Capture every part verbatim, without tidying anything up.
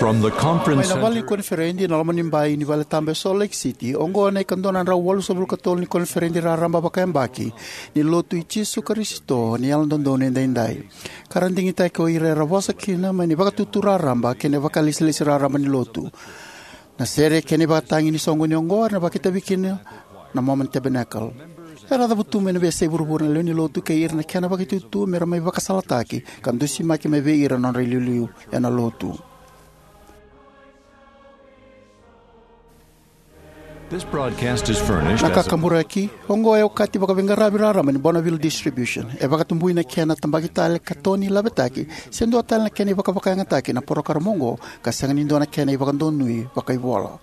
From the conference Mai na vale ni center koniferedi na loma ni bai ni vale tabu e Salt Lake City, oqo na ikadua na drau walusagavulu ka tolu ni koniferedi raraba vakayabaki ni Lotu i Jisu Karisito ni Yalododonu Edaidai, ka ra digitaki o ira era vosa kina mai na ivakatutu raraba kei na vakalesilesi raraba ni Lotu. Na sere kei na ivakatagi ni soqoni oqo era na vakaitavi kina na Mormon Tabernacle. Era cavutu mai na veiyasai vuravura na lewe ni Lotu kei ira na kena vakaitutu me ra mai vakasalataki ka dusimaki mai vei ira na nodra iliuliu ena Lotu. This broadcast is furnished Na as a kakaburaki oqo e okati vakaveiqaravi raraba ni Bonneville Distribution. E vakatabui na kena tabaki tale ka toni lavetaki se dua tale na kena ivakavakayagataki na porokaramu oqo ka sega ni dua na kena ivakadonui vakaivola.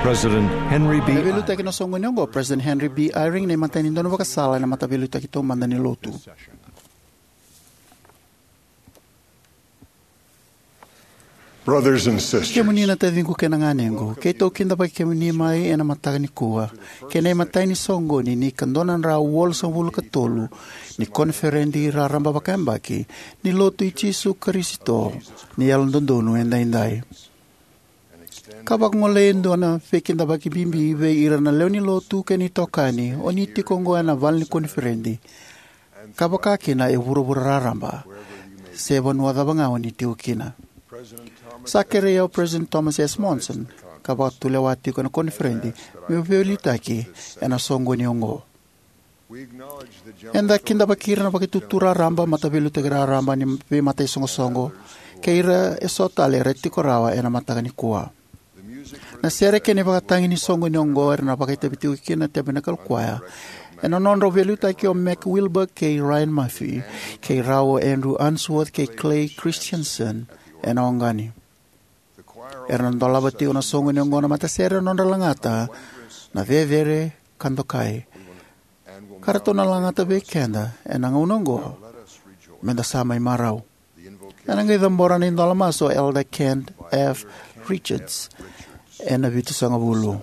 President Henry B. Na veiliutaki na soqoni oqo, President Henry B. Eyring, na imatai ni daunivakasala ena Mataveiliutaki Taumada ni Lotu. Brothers and sisters, kemuni na taciqu kei na ganequ, keitou kidavaki kemuni mai ena mataka nikua kei na imatai ni soqoni ni ka dua na drau walusagavulu ka tolu ni koniferedi raraba vakayabaki ni Lotu i Jisu Karisito ni Yalododonu Edaidai. Ka vakagolei e dua na veikidavaki bibi vei ira na lewe ni Lotu kei na itokani o ni tiko oqo ena vale ni koniferedi, ka vaka kina e vuravura raraba se vanua cava ga o ni tiko kina. Sa kerei au President Thomas S. Monson ka vakatulewa tiko ena koniferedi meu veiliutaki ena soqoni oqo. Eda kidavaki ira na vakaitutu raraba, mataveiliutaki raraba ni veimataisaqosoqo kei ira eso tale era tiko rawa ena mataka nikua. Na sere kei na ivakatagi ni soqoni oqo era na vakaitavi tiko kina na Tabernacle Choir ena nodrau veiliutaki o Mac Wilberg kei Ryan Murphy, kei rau o Andrew Unsworth kei Clay Christensen ena oqani. Era na dolava tiko na soqoni oqo na matasere ena nodra lagata na cecere ka dokai. Ka ratou na lagata vei keda ena gauna oqo, meda sa mai marau. Ena qai cabora na idola masu o Elder Kent F. Richards ena vitusagavulu.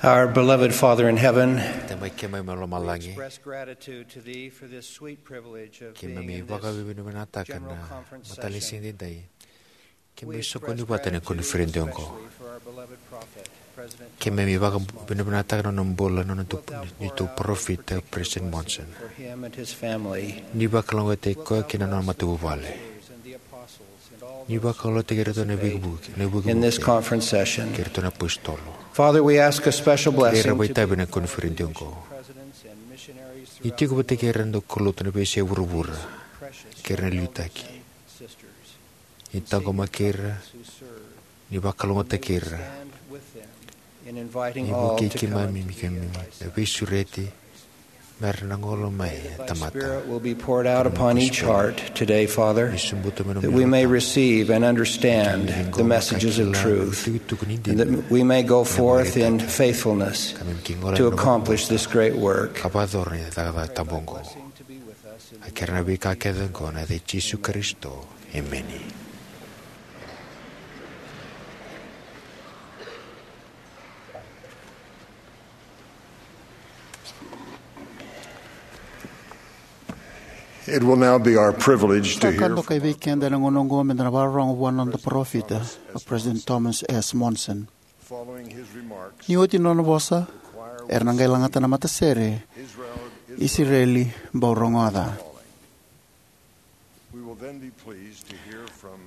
Our beloved Father in heaven, Tamai keimami mai lomalagi, express gratitude to Thee for this sweet privilege of being keimami in this vakavinavinakataka general na conference mataka session. Siga edaidai. Keimami soqoni vata ena koniferedi oqo. Keimami vakavinavinakataka na nona bula na neitou parofita, President Monson. Ni vakalougatataki koya kei na nona matavuvale. Ni vakalougatataki iratou na veivuke, na veivuke kei iratou na apositolo. Kerea vakaitavi na koniferedi oqo. Ni tiko vata kei ira na daukaulotu ena veiyasai vuravura kei ira na liutaki. Ni taqomaki ira, ni vakalougatataki ira. Ni vukei keimami, keimami na veisureti mera na gole mai na tamata. That we may receive and understand the messages of truth, and that we may go forth in faithfulness to accomplish this great work. Ka vakayacora na cakacaka tabu oqo. A kerea na veika kece oqo ena yaca i Jisu Karisito. Emeni. It will now be our privilege to hear from our beloved prophet, President Thomas S. Monson. Following his remarks, ni oti na nona vosa, era na qai lagata na matasere Israel Is Calling. Isireli Bau Rogoca. We will then be pleased to hear from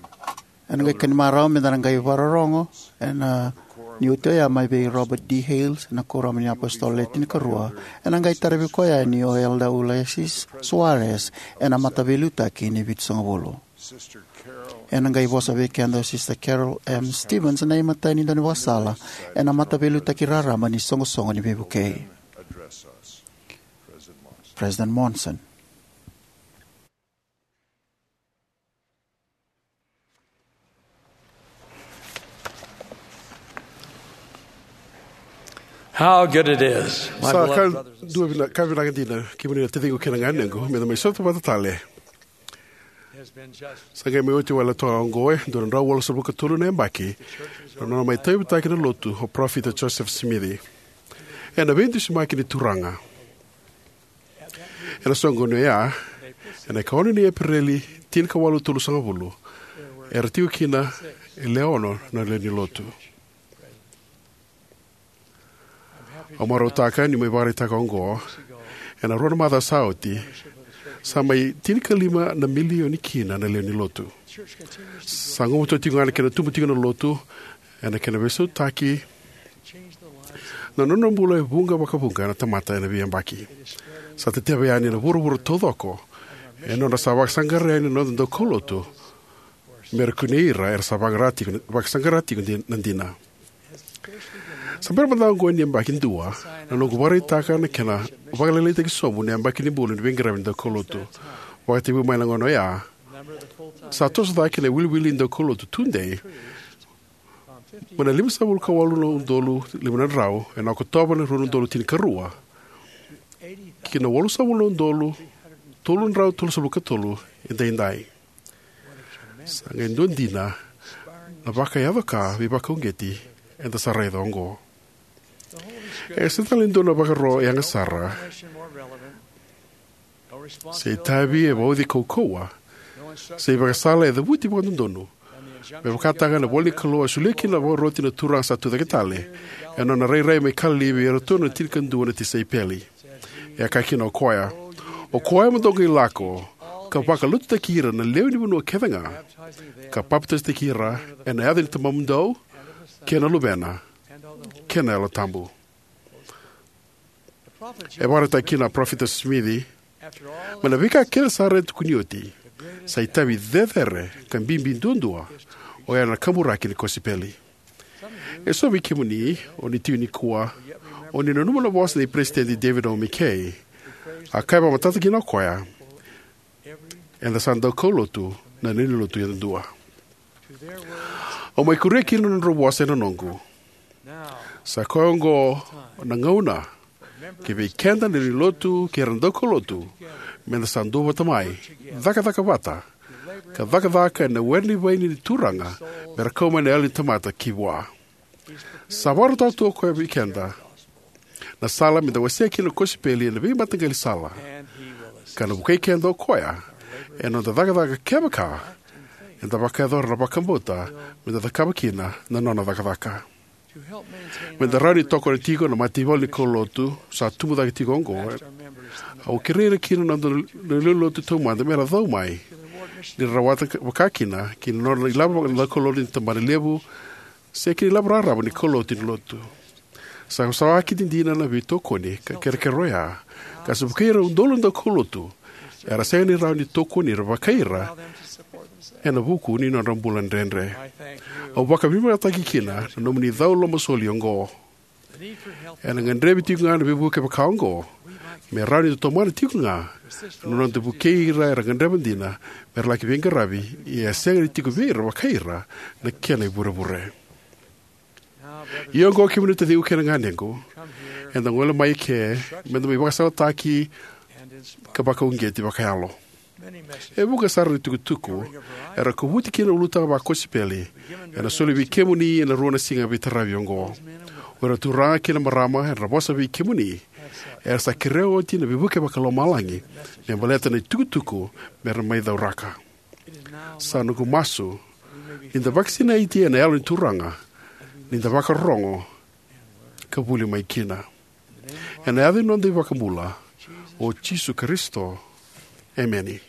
Ena qai kani marau meda na qai vakarorogo ena, ni oti oya, mai vei Robert D. Hales, na Kuoramu ni iApositolo Le Tinikarua. Ena qai taravi koya yani o Elder Ulysses Soares ena Mataveiliutaki ni Vitusagavulu. Ena qai vosa vei keda o Sister Carol M. Stevens, na imatai ni daunivakasala ena Mataveiliutaki Raraba ni Soqosoqo ni Veivukei. President Monson. How good it is, my Sa beloved ka brothers and dua vina, ka vinaka dina, kemuni na taciqu kei na ganequ, meda mai sota vata tale. Sa qai mai oti wale toka oqo e dua na drau walusagavulu ka tolu na yabaki na nona mai tauyavutaki na lotu o Parofita Joseph Smith ena veidusimaki ni Turaga. Ena soqoni oya, ena ikaono ni Epereli tinikawalu tolusagavulu, era tiko kina e lewe ono na lewe ni lotu. Au marautaka niu mai vakaraitaka oqo, ena rua na macawa sa oti, sa mai tinikalima na milioni kina na lewe ni lotu. Sa gumatua tiko ga na kena tubu tiko na lotu, ena kena veisautaki na nodra bula e vuqa vakavuqa na tamata ena veiyabaki. Sa teteva yani ena vuravura taucoko, ena nodra sa vakasaqara yani na noda daukaulotu, mera kunei ira era sa vaqara tiko, vakasaqara tiko di-, na dina. Sa bera mada ga oqo ni yabaki dua na noqu vakaraitaka na kena vakalailaitaki sobu na yabaki ni bula ni veiqaravi ni daukaulotu. Vakatekivu mai na gauna oya, sa toso cake na iwiliwili ni daukaulotu tudei mai na limasagavulu ka walu na udolu lima na drau ena Okotova ni rua na udolu tinikarua ki na walusagavulu na udolu tolu na drau tolusagavulu ka tolu edaidai. Sa qai dua dina na vakayaco ka veivakauqeti eda sa raica oqo. E sega tale ni dua na vakaro yaga sara se itavi e vauci kaukauwa se ivakasala e cavuti vakadodonu me vakataka na ivola ni Kalou a solia kina na vakaroti na Turaga sa tucake tale ena nona rairai mai Kalili vei iratou na tinikadua na tisaipeli. E a kaya kina o koya, "O koya mo dou qai lako ka vakalotutaki ira na lewe ni vanua kece ga, ka papitaisotaki ira ena yaca ni Tamamudou, kei na Luvena, kei na Yalo Tabu." E vakaraitaka kina na Parofita Simici, mai na veika kece sara e tukuni oti, sa itavi cecere ka bibi duadua oya na kaburaki ni kosipeli. Eso vei kemuni o ni tiko nikua, o ni nanuma na vosa nei Peresitedi David O. McKay. A kaya vakamatata kina o koya, "Eda sa daukaulotu na lewe ni lotu yadudua." Au mai kuria kina na nodrau vosa ena noqu. Sa koya oqo na gauna, kivei keda na lewe ni lotu kei ira na daukaulotu, meda sa duavata mai, cakacaka vata, ka cakacaka ena were ni vaini ni Turaga, mera kau mai na yalo ni tamata ki vua. Sa vakarautaka tu o koya vei keda na sala me da wasea kina na kosipeli ena veimataqali sala, ka na vukei keda o koya ena noda cakacaka kevaka eda vakayacora na vakabauta me da cakava kina na nona cakacaka. Me da rawa ni tokona tiko na mataivalu ni kaulotu sa tubu cake tiko oqo, au kerei ira kina na noda lewenilotu taumada me ra cau mai, ni ra rawata vakakina ki na nodra ilavo na kaulotu ni tabanalevu se ki na ilavo raraba ni kaulotu ni lotu. Sa savasava kina dina na veitokoni ka kerekere oya, ka sa vukei ira e udolu na daukaulotu era sega ni rawa ni tokoni ira vakai ira ena vuku ni nodra bula dredre. Au vakavinavinakataka kina na nomuni cau lomasoli oqo. Ena gadrevi tiko ga na veivuke vaka oqo me rawa ni da tomana tiko ga na noda vukei ira era gadreva dina me ra laki veiqaravi, ia e sega ni tiko vei ira vakai ira na kena ivurevure. Ia oqo, kemuni na taciqu kei na ganequ, eda gole mai eke me da mai vakasalataki ka vakauqeti vakayalo. E vuqa sara na itukutuku era kovuti kina na ulutaga vakosipeli ena soli vei kemuni ena rua na siga veitaravi oqo. O ira na turaga kei na marama era vosa vei kemuni era sa kerea oti na veivuke vakalomalagi me baleta na itukutuku me ra mai cauraka. Sa noqu masu ni da vakasinaiti ena Yalo ni Turaga, ni da vakarorogo ka vuli mai kina. Ena yaca ni noda iVakabula, o Jisu Karisito. Emeni.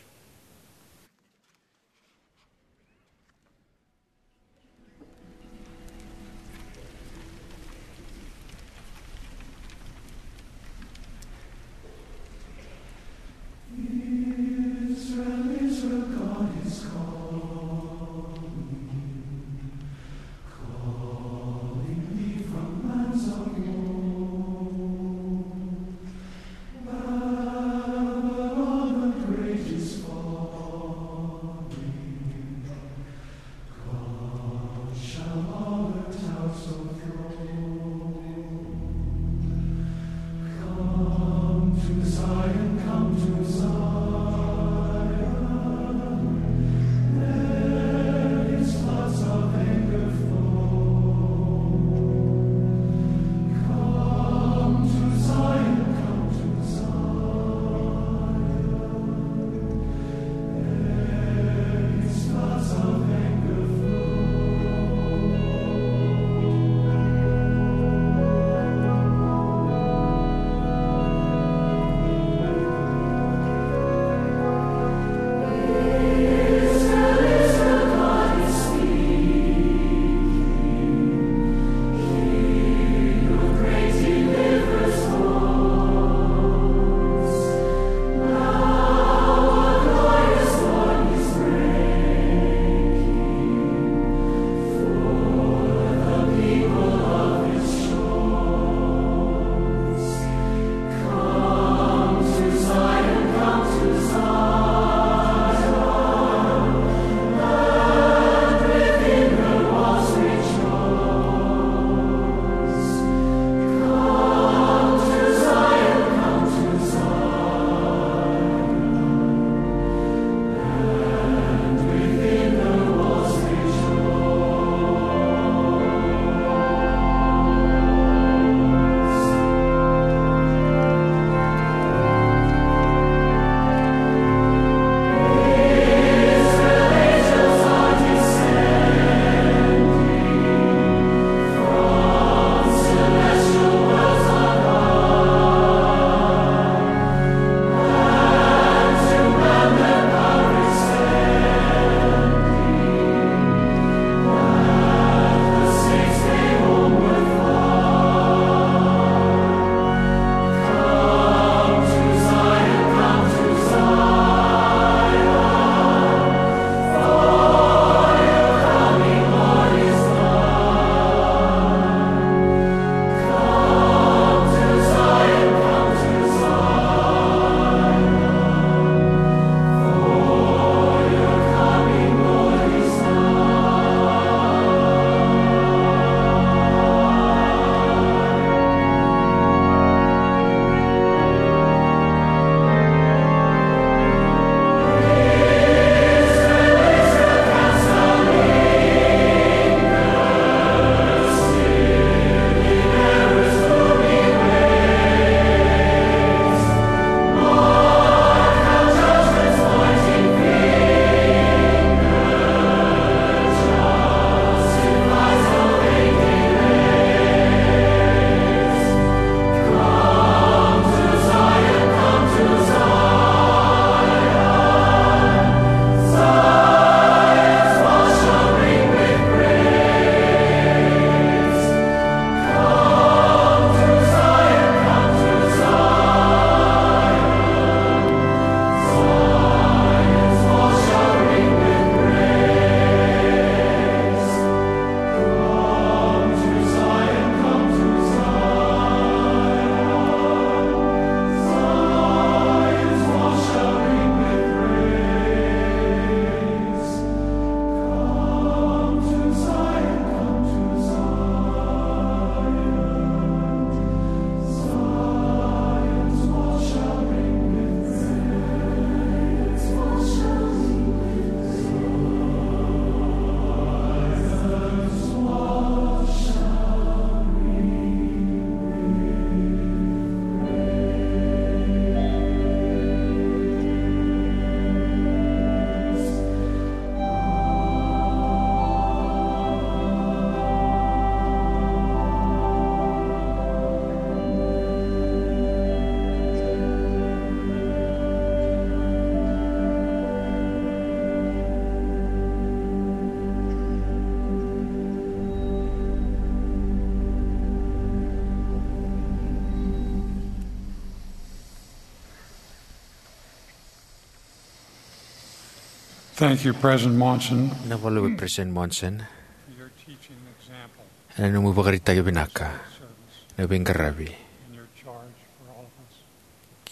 Thank you, President Monson, Vinaka vakalevu, President Monson, for your teaching example ena nomu ivakaraitaki vinaka, servants, na veiqaravi, and your charge for all of us.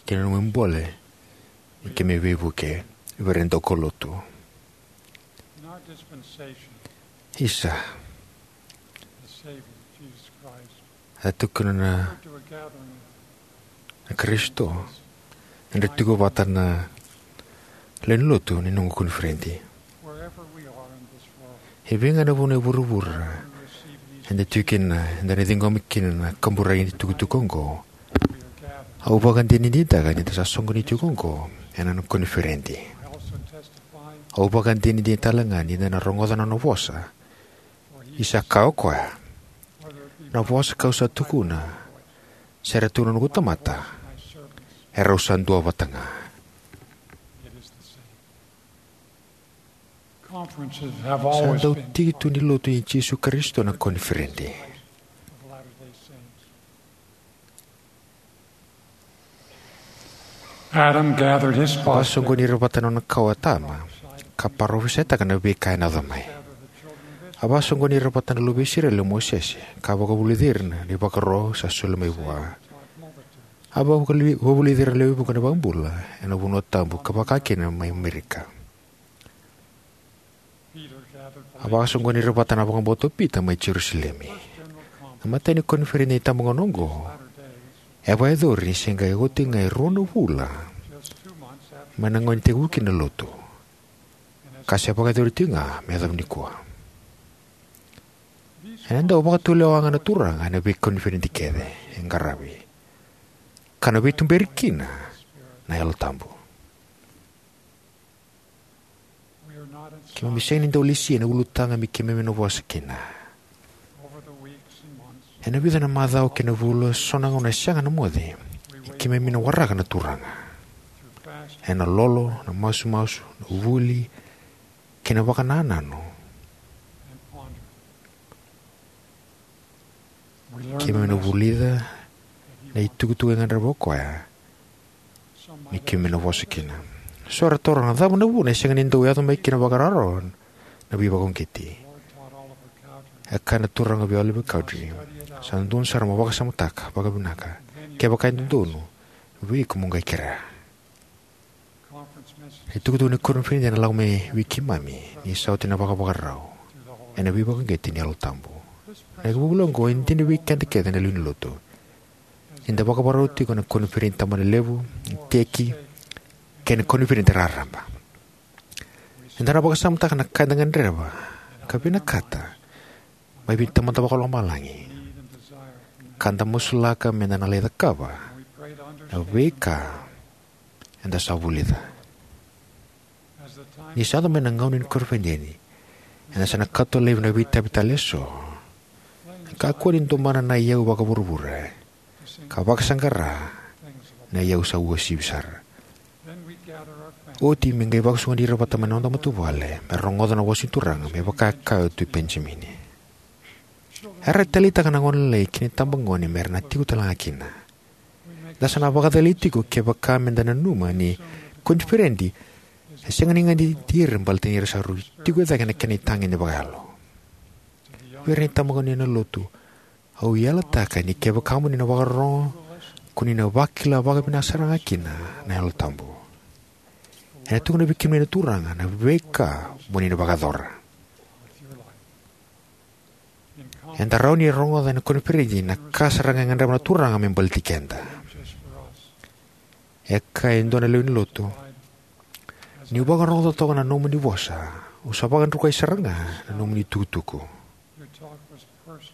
Kei na nomu ibole ni keimami veivuke vei ira na daukaulotu. In our dispensation, Isa, the Savior, Jesus Christ, a tukuna na, referred to a gathering of na Karisito, ena tiko vata na lewe ni lotu ni noqu koniferedi. Wherever we are in this world, e vei ga na vanua e vuravura we receive these eda tiko kina, eda na ciqoma kina na kaburaki ni tukutuku oqo. We are gathered. Au vakadinadinataka ni da sa soqoni tiko oqo ena nona koniferedi. I also testify. Au vakadinadina tale ga ni da na rogoca na nona vosa. Ni sa kaya o koya, na vosa kau sa tukuna, se ra tukuna na noqu tamata, erau sa dua vata ga. Sa dau tiki tu ni lotu i Jisu Karisito na koniferedi. Adam gathered his A vakasoqoni ira vata na nona kawa o Atama, ka parofisaitaka na veika ena yaco mai. A vakasoqoni ira vata na luve i Isireli o Mosese, ka vakavulici ira na ivakaro sa soli mai vua. A vakavuli-, vakavulici ira lewe vuqa na iVakabula ena vanua tabu ka vaka kina mai Amerika. A vakasoqoni ira vata na vakabauta o Pita mai Jerusalemi. Na imatai ni koniferedi ni itabagauna oqo e vakayacori ni se qai oti ga e rua na vula mai na gauna e tekivu kina na lotu, ka se vakayacori tiko ga me yacova nikua. Ena dau vakatulewa ga na Turaga ena veikoniferedi kece e qaravi, ka na veituberi kina na Yalo Tabu. Keimami sega ni dau lesi ena ulutaga me keimami na vosa kina. Ena vica na macawa kei na vula, so na gauna e sega na moce, keimami na waraka na Turaga ena lolo, na masumasu, na vuli, kei na vakanananu. Keimami na vulica na itukutuku e gadreva o koya me keimami na vosa kina. So era taroga, cava na vuna e sega ni dau yaco mai kina vakararaba na veivakauqeti? E kaya na Turaga vei Oliver Cowdery, sa dodonu sara mo vakasamataka vakavinaka. Kevaka e dodonu, vei iko mo qai kerea. Na itukutuku ni koniferedi ena lako mai vei keimami ni sa oti na vakavakarau ena veivakauqeti ni Yalo Tabu. Na ivakavuvuli oqo e dina vei keda kece na lewe ni lotu. Eda vakavakarau tiko ena koniferedi tabanalevu, iteki, kei na koniferedi raraba. Eda na vakasamataka na ka eda gadreva ka vinakata mai vei Tamada Vakalomalagi, ka da masulaka meda na lai cakava na veika eda sa vulica. Ni sa yaco mai na gauna ni koniferedi, eda sa na kauta laivi na veitavi tale eso. Kakua ni domona na iyau vakavuravura ka vakasaqara na iyau sa uasivi sara. Oti me qai vakasoqoni ira vata mai na noda matavuvale me rogoca na vosa ni Turaga, me vaka e kaya o Tui Penijamini. Era taleitaka na gone lailai ki na itabagone me ra na tiko tale ga kina. Da sa na vakacalai tiko kevaka meda nanuma ni koniferedi e sega ni ganiti ira baleta ni ra sa rui tiko e cake na kena itagede vakayalo. Vei ira na itabagone ena lotu, au yalataka ni kevaka mo ni na vakarorogo, ko ni na vakila vakavinaka sara ga kina na Yalo Tabu. Ena tukuna vei kemuni na Turaga na veika mo ni na vakayacora. Eda rawa ni rogoca ena koniferedi na ka sara ga e gadreva na Turaga me baleti keda. E kaya e dua na lewe ni lotu, niu vakarogoca toka na nomuni vosa, au sa vakadrukai sara ga na nomuni tukutuku.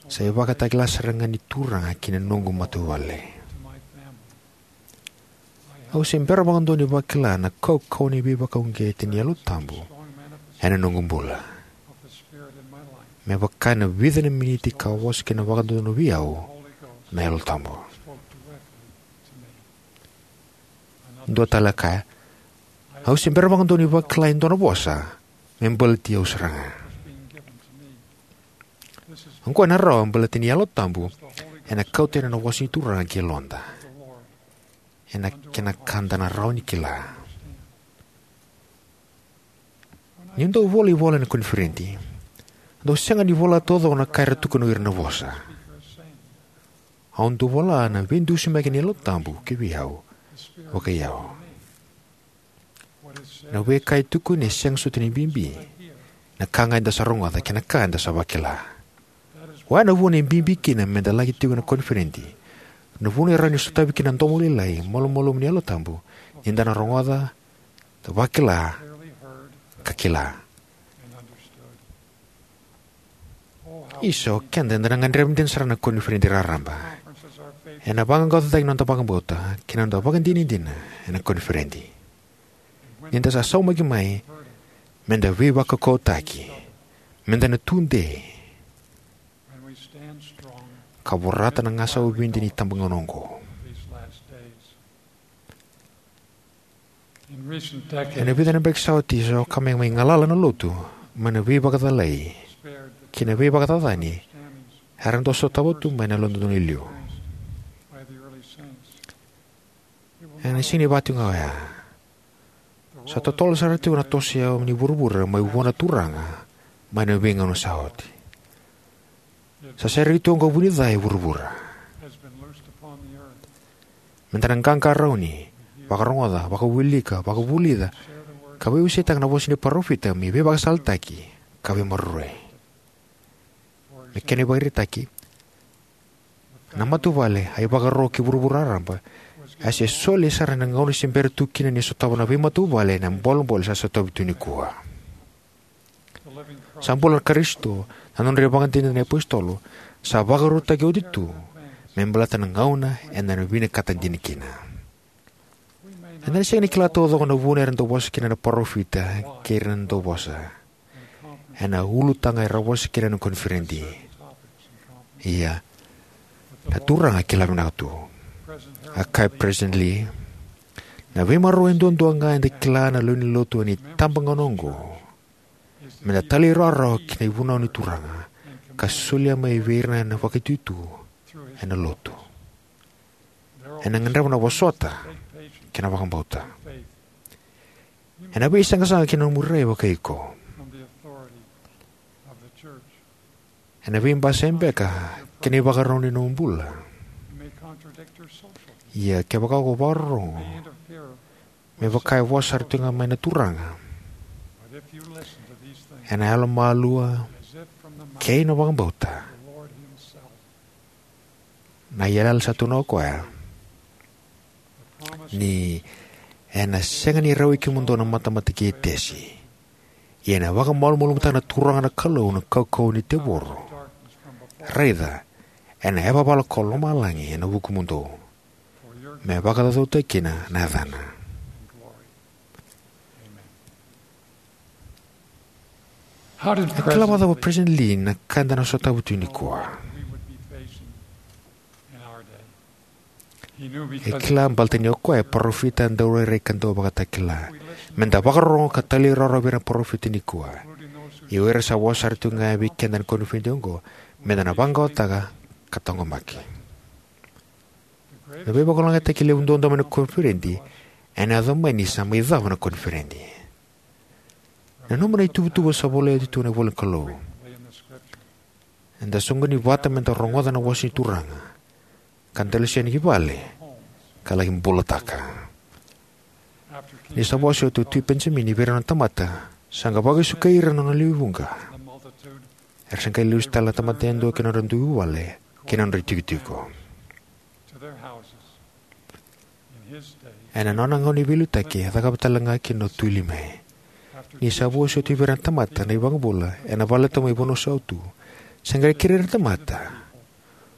Sa ivakatakila sara ga ni Turaga ki na noqu matavuvale. Au se bera vakadua ni vakila na kaukauwa ni veivakauqeti ni Yalo Tabu ena noqu bula, me vaka ena vica na miniti ka vosa kina vakadodonu vei au na Yalo Tabu. Dua tale a kaya, au se bera vakadua ni vakila e dua na vosa me baleti au sara ga. Oqo ena rawa baleta ni Yalo Tabu ena kauta yani na vosa ni Turaga ki yaloda, ena kena ka da na rawa ni kila. Niu dau vola ivola ena koniferedi, au dau sega ni vola taucoko na ka era tukuna o ira na vosa. Au dau vola na veidusimaki ni Yalo Tabu kivei au, vakai au. Na veika e tukuni e sega soti ni bibi, na ka ga eda sa rogoca kei na ka eda sa vakila. Oya na vuna e bibi kina meda laki tiko ena koniferedi. Na vuna e rawa ni sotavi kina na domo lailai, malumalumu ni Yalo Tabu, ni da na rogoca, da vakila, ka kila. Isa, o keda eda na gadreva dina sara na koniferedi raraba. Ena vaqaqacotaki na noda vakabauta kei na noda vakadinadina ena koniferedi. Ni da sa saumaki mai, meda veivakaukauwataki, meda na tudei, ka vorata na gasau vidi ni tabagauna oqo. Ena vica na yabaki sa oti, sa vaka me mai galala na lotu mai na veivakacalai kei na veivakacacani era dau sotava tu mai na Yalododonu e liu. Ena sega ni vaka tiko ga oya. Sa totolo sara tiko na toso ni vuravura mai vua na Turaga mai na veigauna sa oti. Sa sereki tu oqo vu ni ca e vuravura. Meda na qaqarauni, vakarogoca, vakawilika, vakavulica, ka veiwaseitaka na vosa ni parofita me veivakasalataki ka veimaroroi. Me kena ivakaraitaki, na matavuvale a ivakaro ki vuravura raraba a se soli sara ena gauna se bera tu kina ni sotava na veimatavuvale ena bolebole sa sotavi tu nikua. Sa bula na Karisito, na nodra ivakadinadina na iapositolo sa vakarautaki oti tu me baleta na gauna eda na vinakata dina kina. Eda na sega ni kila taucoko na vuna era dau vosa kina na parofita kei ira na dauvosa ena ulutaga era vosa kina ena koniferedi. Ia, na Turaga e kila vinaka tu. A kaya o President Lee, na veimaroroi duadua ga eda kila na lewe ni lotu ena itabagauna oqo, meda talairawarawa ki na ivunau ni Turaga ka solia mai vei ira na vakaitutu ena lotu. Ena gadreva na vosota kei na vakabauta. Ena veisaqasaqa ki na nomu rai vakai iko. Ena veibasai beka ki na ivakarau ni nomu bula. Ia kevaka ko vakarorogo, me vaka e vosa sara tiko ga mai na Turaga ena yalomalua kei na vakabauta, na iyalayala sa tukuna o koya ni ena sega ni rawai kemudou na matamata kei Tesi, ia ena vakamalumalumutaka na Turaga na Kalou na kaukauwa ni tevoro. Raica, ena yavavala ko lomalagi ena vukumudou, me vakacaucautaki kina na yacana. How did E kila President vakacava o President Lee na ka eda na sotava tu nikua? He knew E because kila baleta ni o koya e parofita daurairai ka dauvakatakila. Meda vakarorogo ka talairawarawa vei ira na parofita nikua, ia o ira sa vosa sara tu ga vei keda ena koniferedi oqo, meda na vaqaqacotaka ka taqomaki. Na veivakalougatataki levu duadua mai na koniferedi ena yaco mai ni sa mai cava na koniferedi. Nanuma na ituvatuva sa volai oti tu ena ivola ni Kalou. Eda soqoni vata meda rogoca na vosa ni Turaga, ka da lesu yani ki vale ka laki bulataka. Ni sa vosa oti o Tui Penijamini vei ira na tamata, sa qai vakasukai ira na nona lewe vuqa. Era sa qai lesu tale na tamata yadua ki na nodra dui vuvale kei na nodra itikotiko. Ena nona gauna ni veiliutaki, e cakava tale ga kina o Tui Limai. Ni sa vosa oti vei ira na tamata na iVakabula ena vale tabu mai Vanuasautu, sa qai kerei ira na tamata: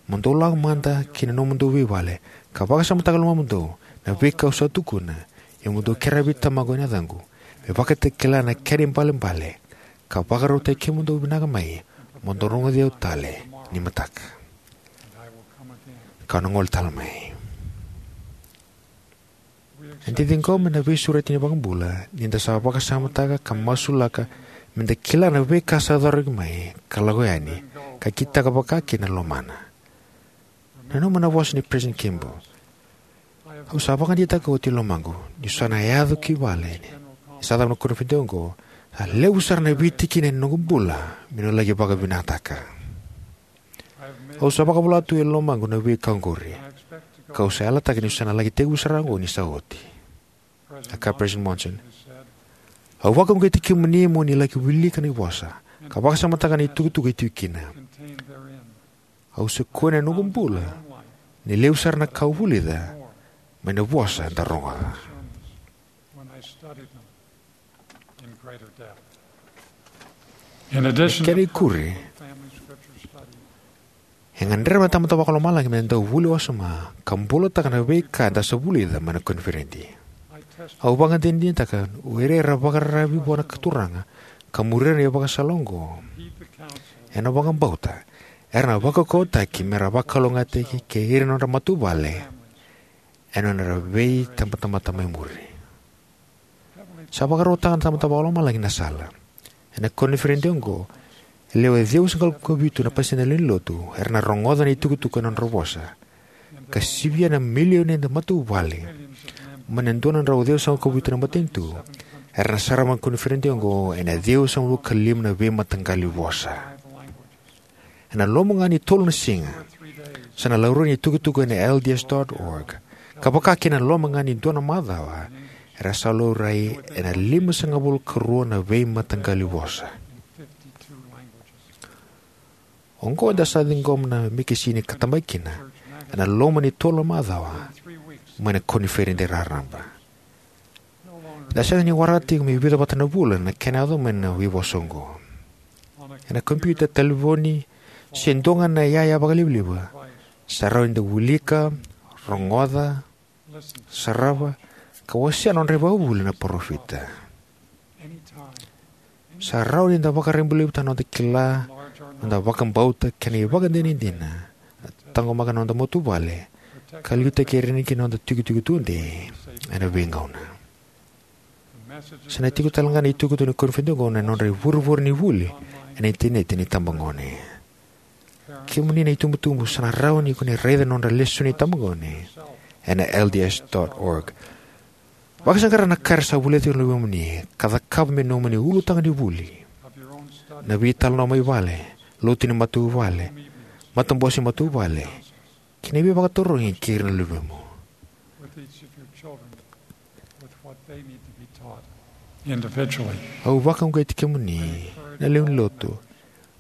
Mo dou lako mada ki na nomudou veivale ka vakasamataka e lomamudou na veika au sa tukuna, ia mo dou kerea vei Tamaqu ena yacaqu, me vakatakila na kena ibalebale, ka vakarautaki kemudou vinaka mai, mo dou rogoci au tale ni mataka, kau na gole tale mai. Eda ciqoma na veisureti ni iVakabula ni da sa vakasamataka ka masulaka meda kila na veika sa coroki mai ka lako yani, ka kitaka vakakina na lomana. Nanuma na vosa nei President Kimball: Au sa vakadeitaka oti e lomaqu niu sa na yaco ki vale ni sa cava na koniferedi oqo, A levu sara na veitikina ena noqu bula meu na laki vakavinakataka. Au sa vakavola tu e lomaqu na veika oqori, kau sa yalataka niu sa na laki tekivu sara ga oqo ni sa oti. A kaya President Monson, au vakauqeti kemuni mo ni laki wilika na ivosa ka vakasamataka na itukutuku e tiko kina. Au sa kune ena noqu bula ni levu sara na ka au vulica mai na vosa eda rogoca. Kena ikuri, e gadreva na Tamada Vakalomalagi me da dau vuli wasoma ka bulataka na veika eda sa vulica mai na koniferedi. Au vakadinadinataka o ira era vakararavi vua na Turaga ka muria na ivakasala oqo ena vakabauta, era na vakaukauwataki me ra vakalougatataki kei ira na nodra matavuvale ena nodra veitabatamata mai muri. Sa vakarautaka na Tamada Vakalomalagi na sala. Ena koniferedi oqo, e lewe ciwasagavulu ka vitu na pasede ni lewenilotu era na rogoca na itukutuku ena nodra vosa, ka sivia na milioni na matavuvale mai na dua na drau ciwasagavulu ka vitu na matanitu era na sarava na koniferedi oqo ena ciwasagavulu ka lima na veimataqali vosa. Ena loma ga ni tolu na siga, sa na laurai na itukutuku ena L D S dot org, ka vaka kina ena loma ga ni dua na macawa, era sa laurai ena limasagavulu ka rua na veimataqali vosa. Oqo eda sa ciqoma na mekesini ka tabaki kina ena loma ni tolu na macawa mai na koniferedi raraba. Eda sega ni waraka tiko me vica vata na vula na kena yaco mai na veivosa oqo. Ena kompiuta, talevoni, se dua ga na iyaya vakalivaliva, sa rawa ni da wilika, rogoca, sarava, ka wasea na nodra ivakavuvuli na parofita. Sa rawa ni da vakarabailevutaka na noda kila, noda vakabauta kei na ivakadinadina, taqomaka na noda matavuvale, ka liutaki ira kina noda tukituki tudei ena veigauna. Sa na tiko talega na itukutuku ni koniferedi oqo ena nodra ivurevure ni vuli ena initaneti na itabagone. Kemuni na itubutubu, sa na rawa ni ko ni raica na nodra lesoni itabagone ena L D S dot org. Vakasaqara na ka era sa vulica tiko na luvemuni ka cakava me nomuni ulutaga ni vuli, na veitalanoa mai vale, lotu ni matavuvale, matabose matavuvale, kei na veivakatarogi kei ira na luvemu. Au vakauqeti kemuni na lewe ni lotu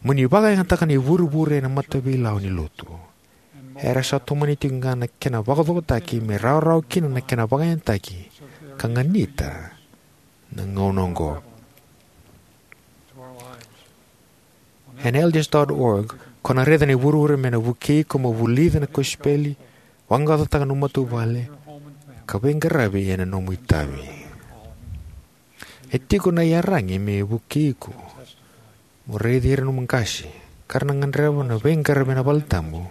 mo ni vakayagataka na ivurevure ena mataveilawa ni lotu. Era sa tomani tiko ga na kena vakacokotaki me rawarawa kina na kena vakayagataki ka ganita na gauna oqo. Ena L D S dot org, ko na raica na ivurevure me na vukei iko mo vulica na kosipeli, vaqaqacotaka na nomu matavuvale, ka veiqaravi ena nomu itavi. E tiko na iyaragi me vukei iko mo raici ira na nomu qase ka ra na gadreva na veiqaravi ena valetabu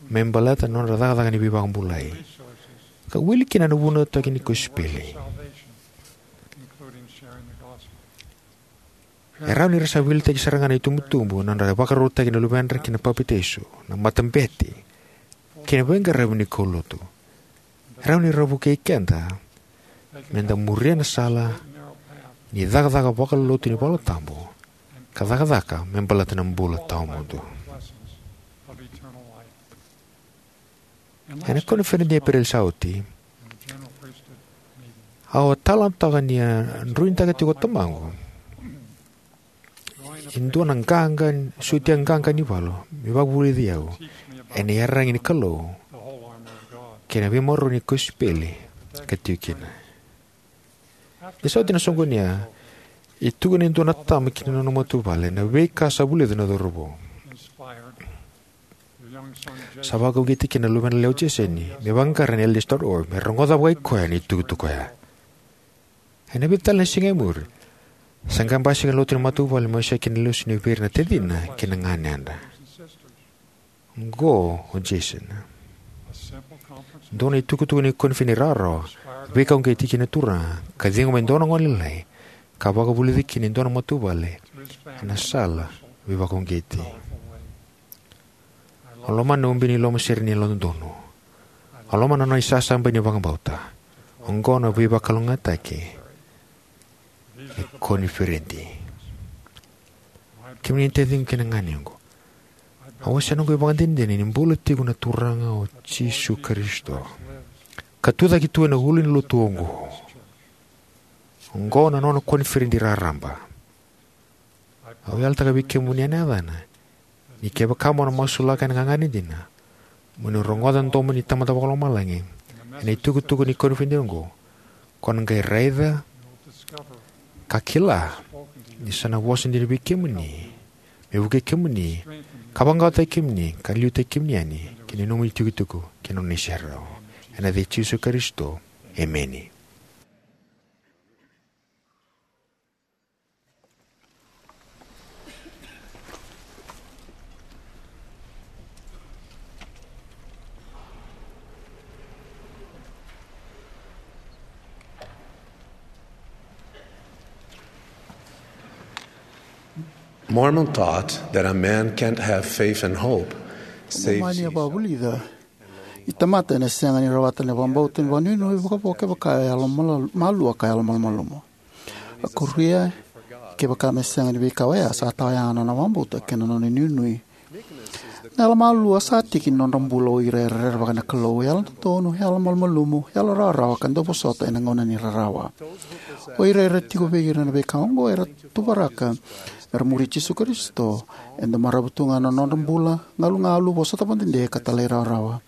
me baleta na nodra cakacaka ni veivakabulai, ka wili kina na vunautaki ni kosipeli. E rawa ni ra sa veiliutaki sara ga na itubutubu ena nodra vakarautaki na luvedra ki na papitaiso, na matabete, kei na veiqaravi ni kaulotu. E rawa ni ra vukei keda me da muria na sala ni cakacaka vakalotu ni valetabu ka cakacaka me baleta na bula tawamudu. Ena koniferedi ni Epereli sa oti, au a talanoataka ni a druidaka tiko o tamaqu e dua na qaqa, sotia qaqa ni valu me vakavulici au ena iyaragi ni Kalou kei na veimaroroi ni kosipeli ka tiko kina. Ni sa oti na soqoni ya, e tukuna e dua na tama ki na nona matavuvale na veika sa vulica na cauravou. Sa vakauqeti kina na luvena yalewa o Jeseni me vaqara na L D S dot org me rogoca vakai koya na itukutuku oya. Ena vica tale na siga e muri, sa qai basika na lotu ni matavuvale me wasea kina na lesoni vei ira na tacina kei na ganeda. Oqo o Jason. Dua na itukutuku ni koniferedi rawarawa, veikauqeti ki na Turaga, ka ciqoma e dua na gone lailai ka vakavulici kina e dua na matavuvale ena sala veivakauqeti. Au lomana na ubi ni lomasere ni yalododonu. Au lomana na nona isasabai ni vakabauta. Oqo na veivakalougatataki e koniferedi. Kemuni na taciqu kei na ganequ, au wasea noqu ivakadinadina ni bula tiko na Turaga o Jisu Karisito, ka tucake tu ena ulu ni lotu oqo. Oqo na nona koniferedi raraba. Au yalataka vei kemuni ena yacana ni kevaka mo na masulaka ena gagadre dina mo ni rogoca na domo ni Tamada Vakalomalagi ena itukutuku ni koniferedi oqo, ko na qai raica ka kila ni sa na vosa dina vei kemuni, me vukei kemuni, ka vaqaqacotaki kemuni, ka liutaki kemuni yani ki na nomuni itukutuku kei na nona iserau. Ena yaca i Jisu Karisito, emeni. Mormon taught that a man can't have faith and hope, save Momani e Jesus. Vakavulica ni tamata ena sega ni rawata na vakabauta ni vakanuinui vakavo kevaka e yalo mala-, malua ka yalo malumalumu. A kuria, kevaka me sega ni veika oya, sa tawayaga na nona vakabauta kei na nona inuinui. Na yalo malua sa tiki ni nodra bula o ira era rerevaka na Kalou, yalo dodonu, yalo malumalumu, yalo rawarawa ka dau vosota ena gauna ni rarawa. O ira era tiko vei ira na veika oqo era tuvaraka mera muri Jisu Karisito, e dau marau tu ga na nodra bula, galugalu, vosota vakadede ka talairawarawa.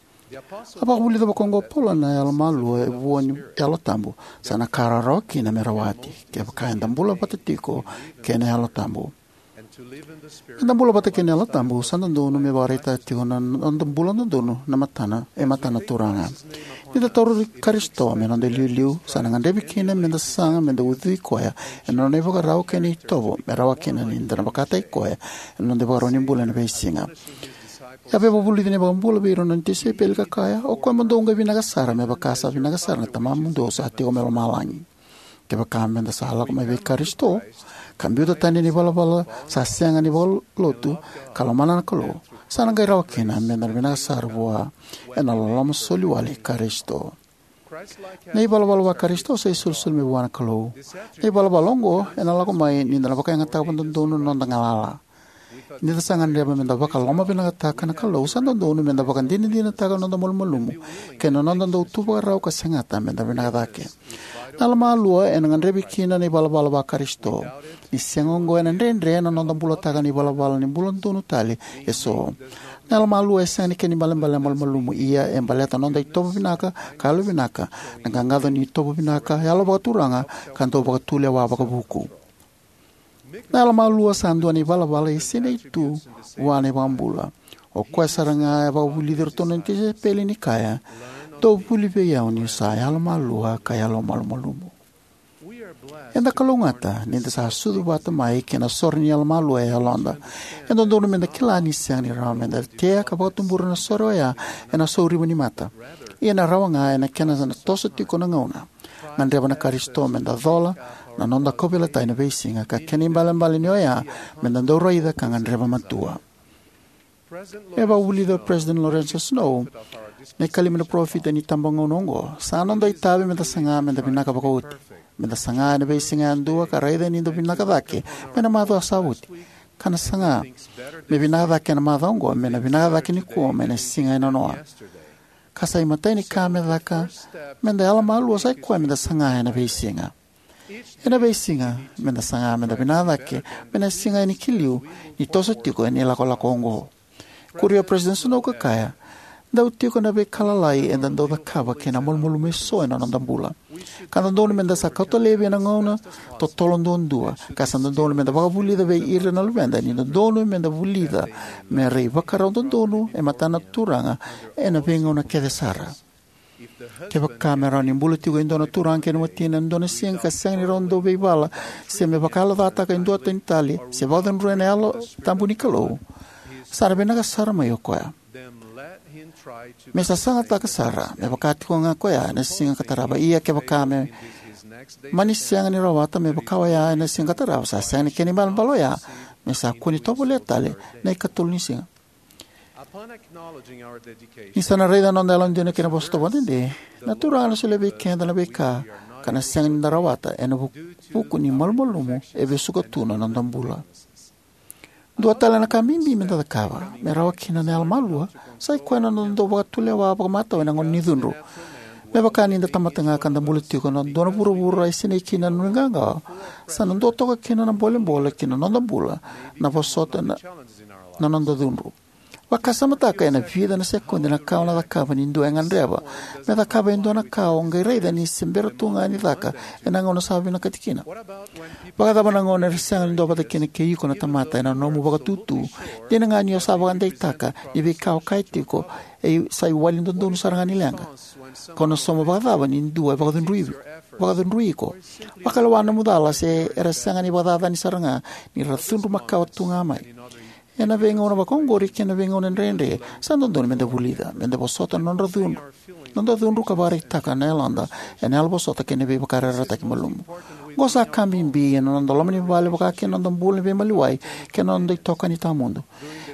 A vakavulica vaka oqo o Paula na yalo malua e vua ni Yalo Tabu, sa na ka rawarawa kina me rawati, kevaka eda bula vata tiko kei na Yalo Tabu. Eda bula vata kei na Yalo Tabu, sa dodonu me vakaraitaka tiko na noda bula dodonu na matana, e matana Turaga. Ni da tauri Karisito me noda iliuliu, sa na gadrevi kina meda saga meda ucui koya ena nona ivakarau kei na itovo, me rawa kina ni da na vakataki koya ena noda ivakarau ni bula ena veisiga. E a via vakavulica na iVakabula vei ira na nona tisaipeli ka kaya, o koya mo dou qai vinaka sara, me vaka sa vinaka sara na Tamamudou sa tiko mai lomalagi. Kevaka meda sa lako mai vei Karisito, ka biuta tani na ivalavala sa sega ni vakalotu, ka lomana na Kalou, sa na qai rawa kina meda na vinaka sara vua ena loloma soli wale i Karisito. Na ivalavala va-Karisito sa isolisoli mai vua na Kalou. Na ivalavala oqo ena lako mai ni da na vakayagataka vakadodonu na noda galala. Ni da sa gadreva meda vakalomavinakataka na Kalou, sa dodonu meda vakadinadinataka na noda malumalumu kei na noda dau tu vakarau ka segata meda vinaka cake. Na yalo malua ena gadrevi kina na ivalavala va-Karisito. Ni sega oqo, ena dredre na noda bulataka na ivalavala ni bula donu tale eso. Na yalo malua e sega ni kena ibalebale na malumalumu, ia e baleta na noda itovo vinaka ka yalo vinaka, na qaqaco ni itovo vinaka, yalo vakaturaga, ka dau vakatulewa vakavuku. Na yalo malua sa dua na ivalavala e sinai tu vua na iVakabula. O koya sara ga e vakavulici iratou na nona tisaipeli ni kaya, dou vuli vei au niu sa yalo malua ka yalo malumalumu. Eda kalougata ni da sa sucu vata mai kei na sore ni yalo malua e yaloda. E dodonu meda kila ni sega ni rawa meda tea ka vakatubura na sore oya ena sauriva ni mata. Ia na rawa ga ena kena sa na toso tiko na gauna. Gadreva na Karisito meda cola na noda kauveilatai ena veisiga, ka kena ibalebale ni oya meda dau raica ka gadreva matua. E vakavulica o President Lorenzo Snow na ikalima ni parofita ni itabagauna oqo: Sa noda itavi meda saga meda vinaka vakaoti, meda saga ena veisiga yadua ka raica ni da vinaka cake mai na macawa sa oti, ka na saga me vinaka cake ena macawa oqo, me na vinaka cake nikua mai na siga e nanoa. Ka sa imatai ni ka me caka meda yalo malua sa ikoya meda saga ena veisiga. Ena veisiga meda saga meda vinaka cake mai na siga yani ki liu ni toso tiko ena ilakolako oqo. Kuria o President Snow ka kaya, dau tiko na veika lalai eda dau cakava kei na malumalumu eso ena noda bula. Ka dodonu meda sa kauta laivi ena gauna totolo duadua, ka sa dodonu meda vakavulica vei ira na luveda ni dodonu meda vulica me ra ivakarau dodonu e matana na Turaga ena veigauna kece sara. Kevaka me rawa ni bula tiko e dua na turaga kei na watina ena dua na siga ka sega ni rawa ni dau veivala, se me vakayalocataka e dua tani tale, se vakacudruya na Yalo Tabu ni Kalou, sa na vinaka sara mai o koya. Me sa sagataka sara, me vaka tiko ga koya ena siga ka tarava. Ia kevaka me mani sega ni rawata me vaka oya ena siga ka tarava, sa sega ni kena ibalebale oya me sa kua ni tovolea tale na ikatolu ni siga. Ni sa na raica na noda yalodina kei na vosota vakadede, na Turaga ena solia vei keda na veika ka na sega ni da rawata ena vu- vuku ni malumalumu e vesuka tu na noda bula. Dua tale na ka bibi me da cakava me rawa kina na yalomalua sa i koya na noda dau vakatulewa vakamatau ena gauna ni cudru. Me vaka ni da tamata ga ka da bula tiko ena dua na vuravura e sinai kina na nuiqawaqawa, sa na dua toka kina na bolebole ki na noda bula na vosota na, na noda cudru. Vakasamataka ena vica na sekodi na ka o na cakava ni dua e gadreva me cakava e dua na ka o qai raica ni se bera tu ga ni caka ena gauna sa vinakati kina. Vakacava na gauna era sega ni duavata kina kei iko na tamata ena nomu vakatutu, dina ga ni o sa vakadeitaka ni veika o kaya tiko e sa iwali dodonu sara ga ni leqa? Ko na sauma vakacava ni dua e vakacudrui, vakacudrui iko? Vakalewa na nomu cala se era sega ni vakacacani sara ga ni ra cudru makawa tu ga mai. Ena veigauna vakaoqori kei na veigauna dredre, sa dodonu me da vulica, me da vosota na nodra cudru, noda cudru ka vakaraitaka na yaloda ena yalovosota kei na veivakayarayarataki malumu. Qo sa ka bibi ena noda loma ni vale vaka kina noda bula ni veimaliwai kei na noda itokani tawamudu.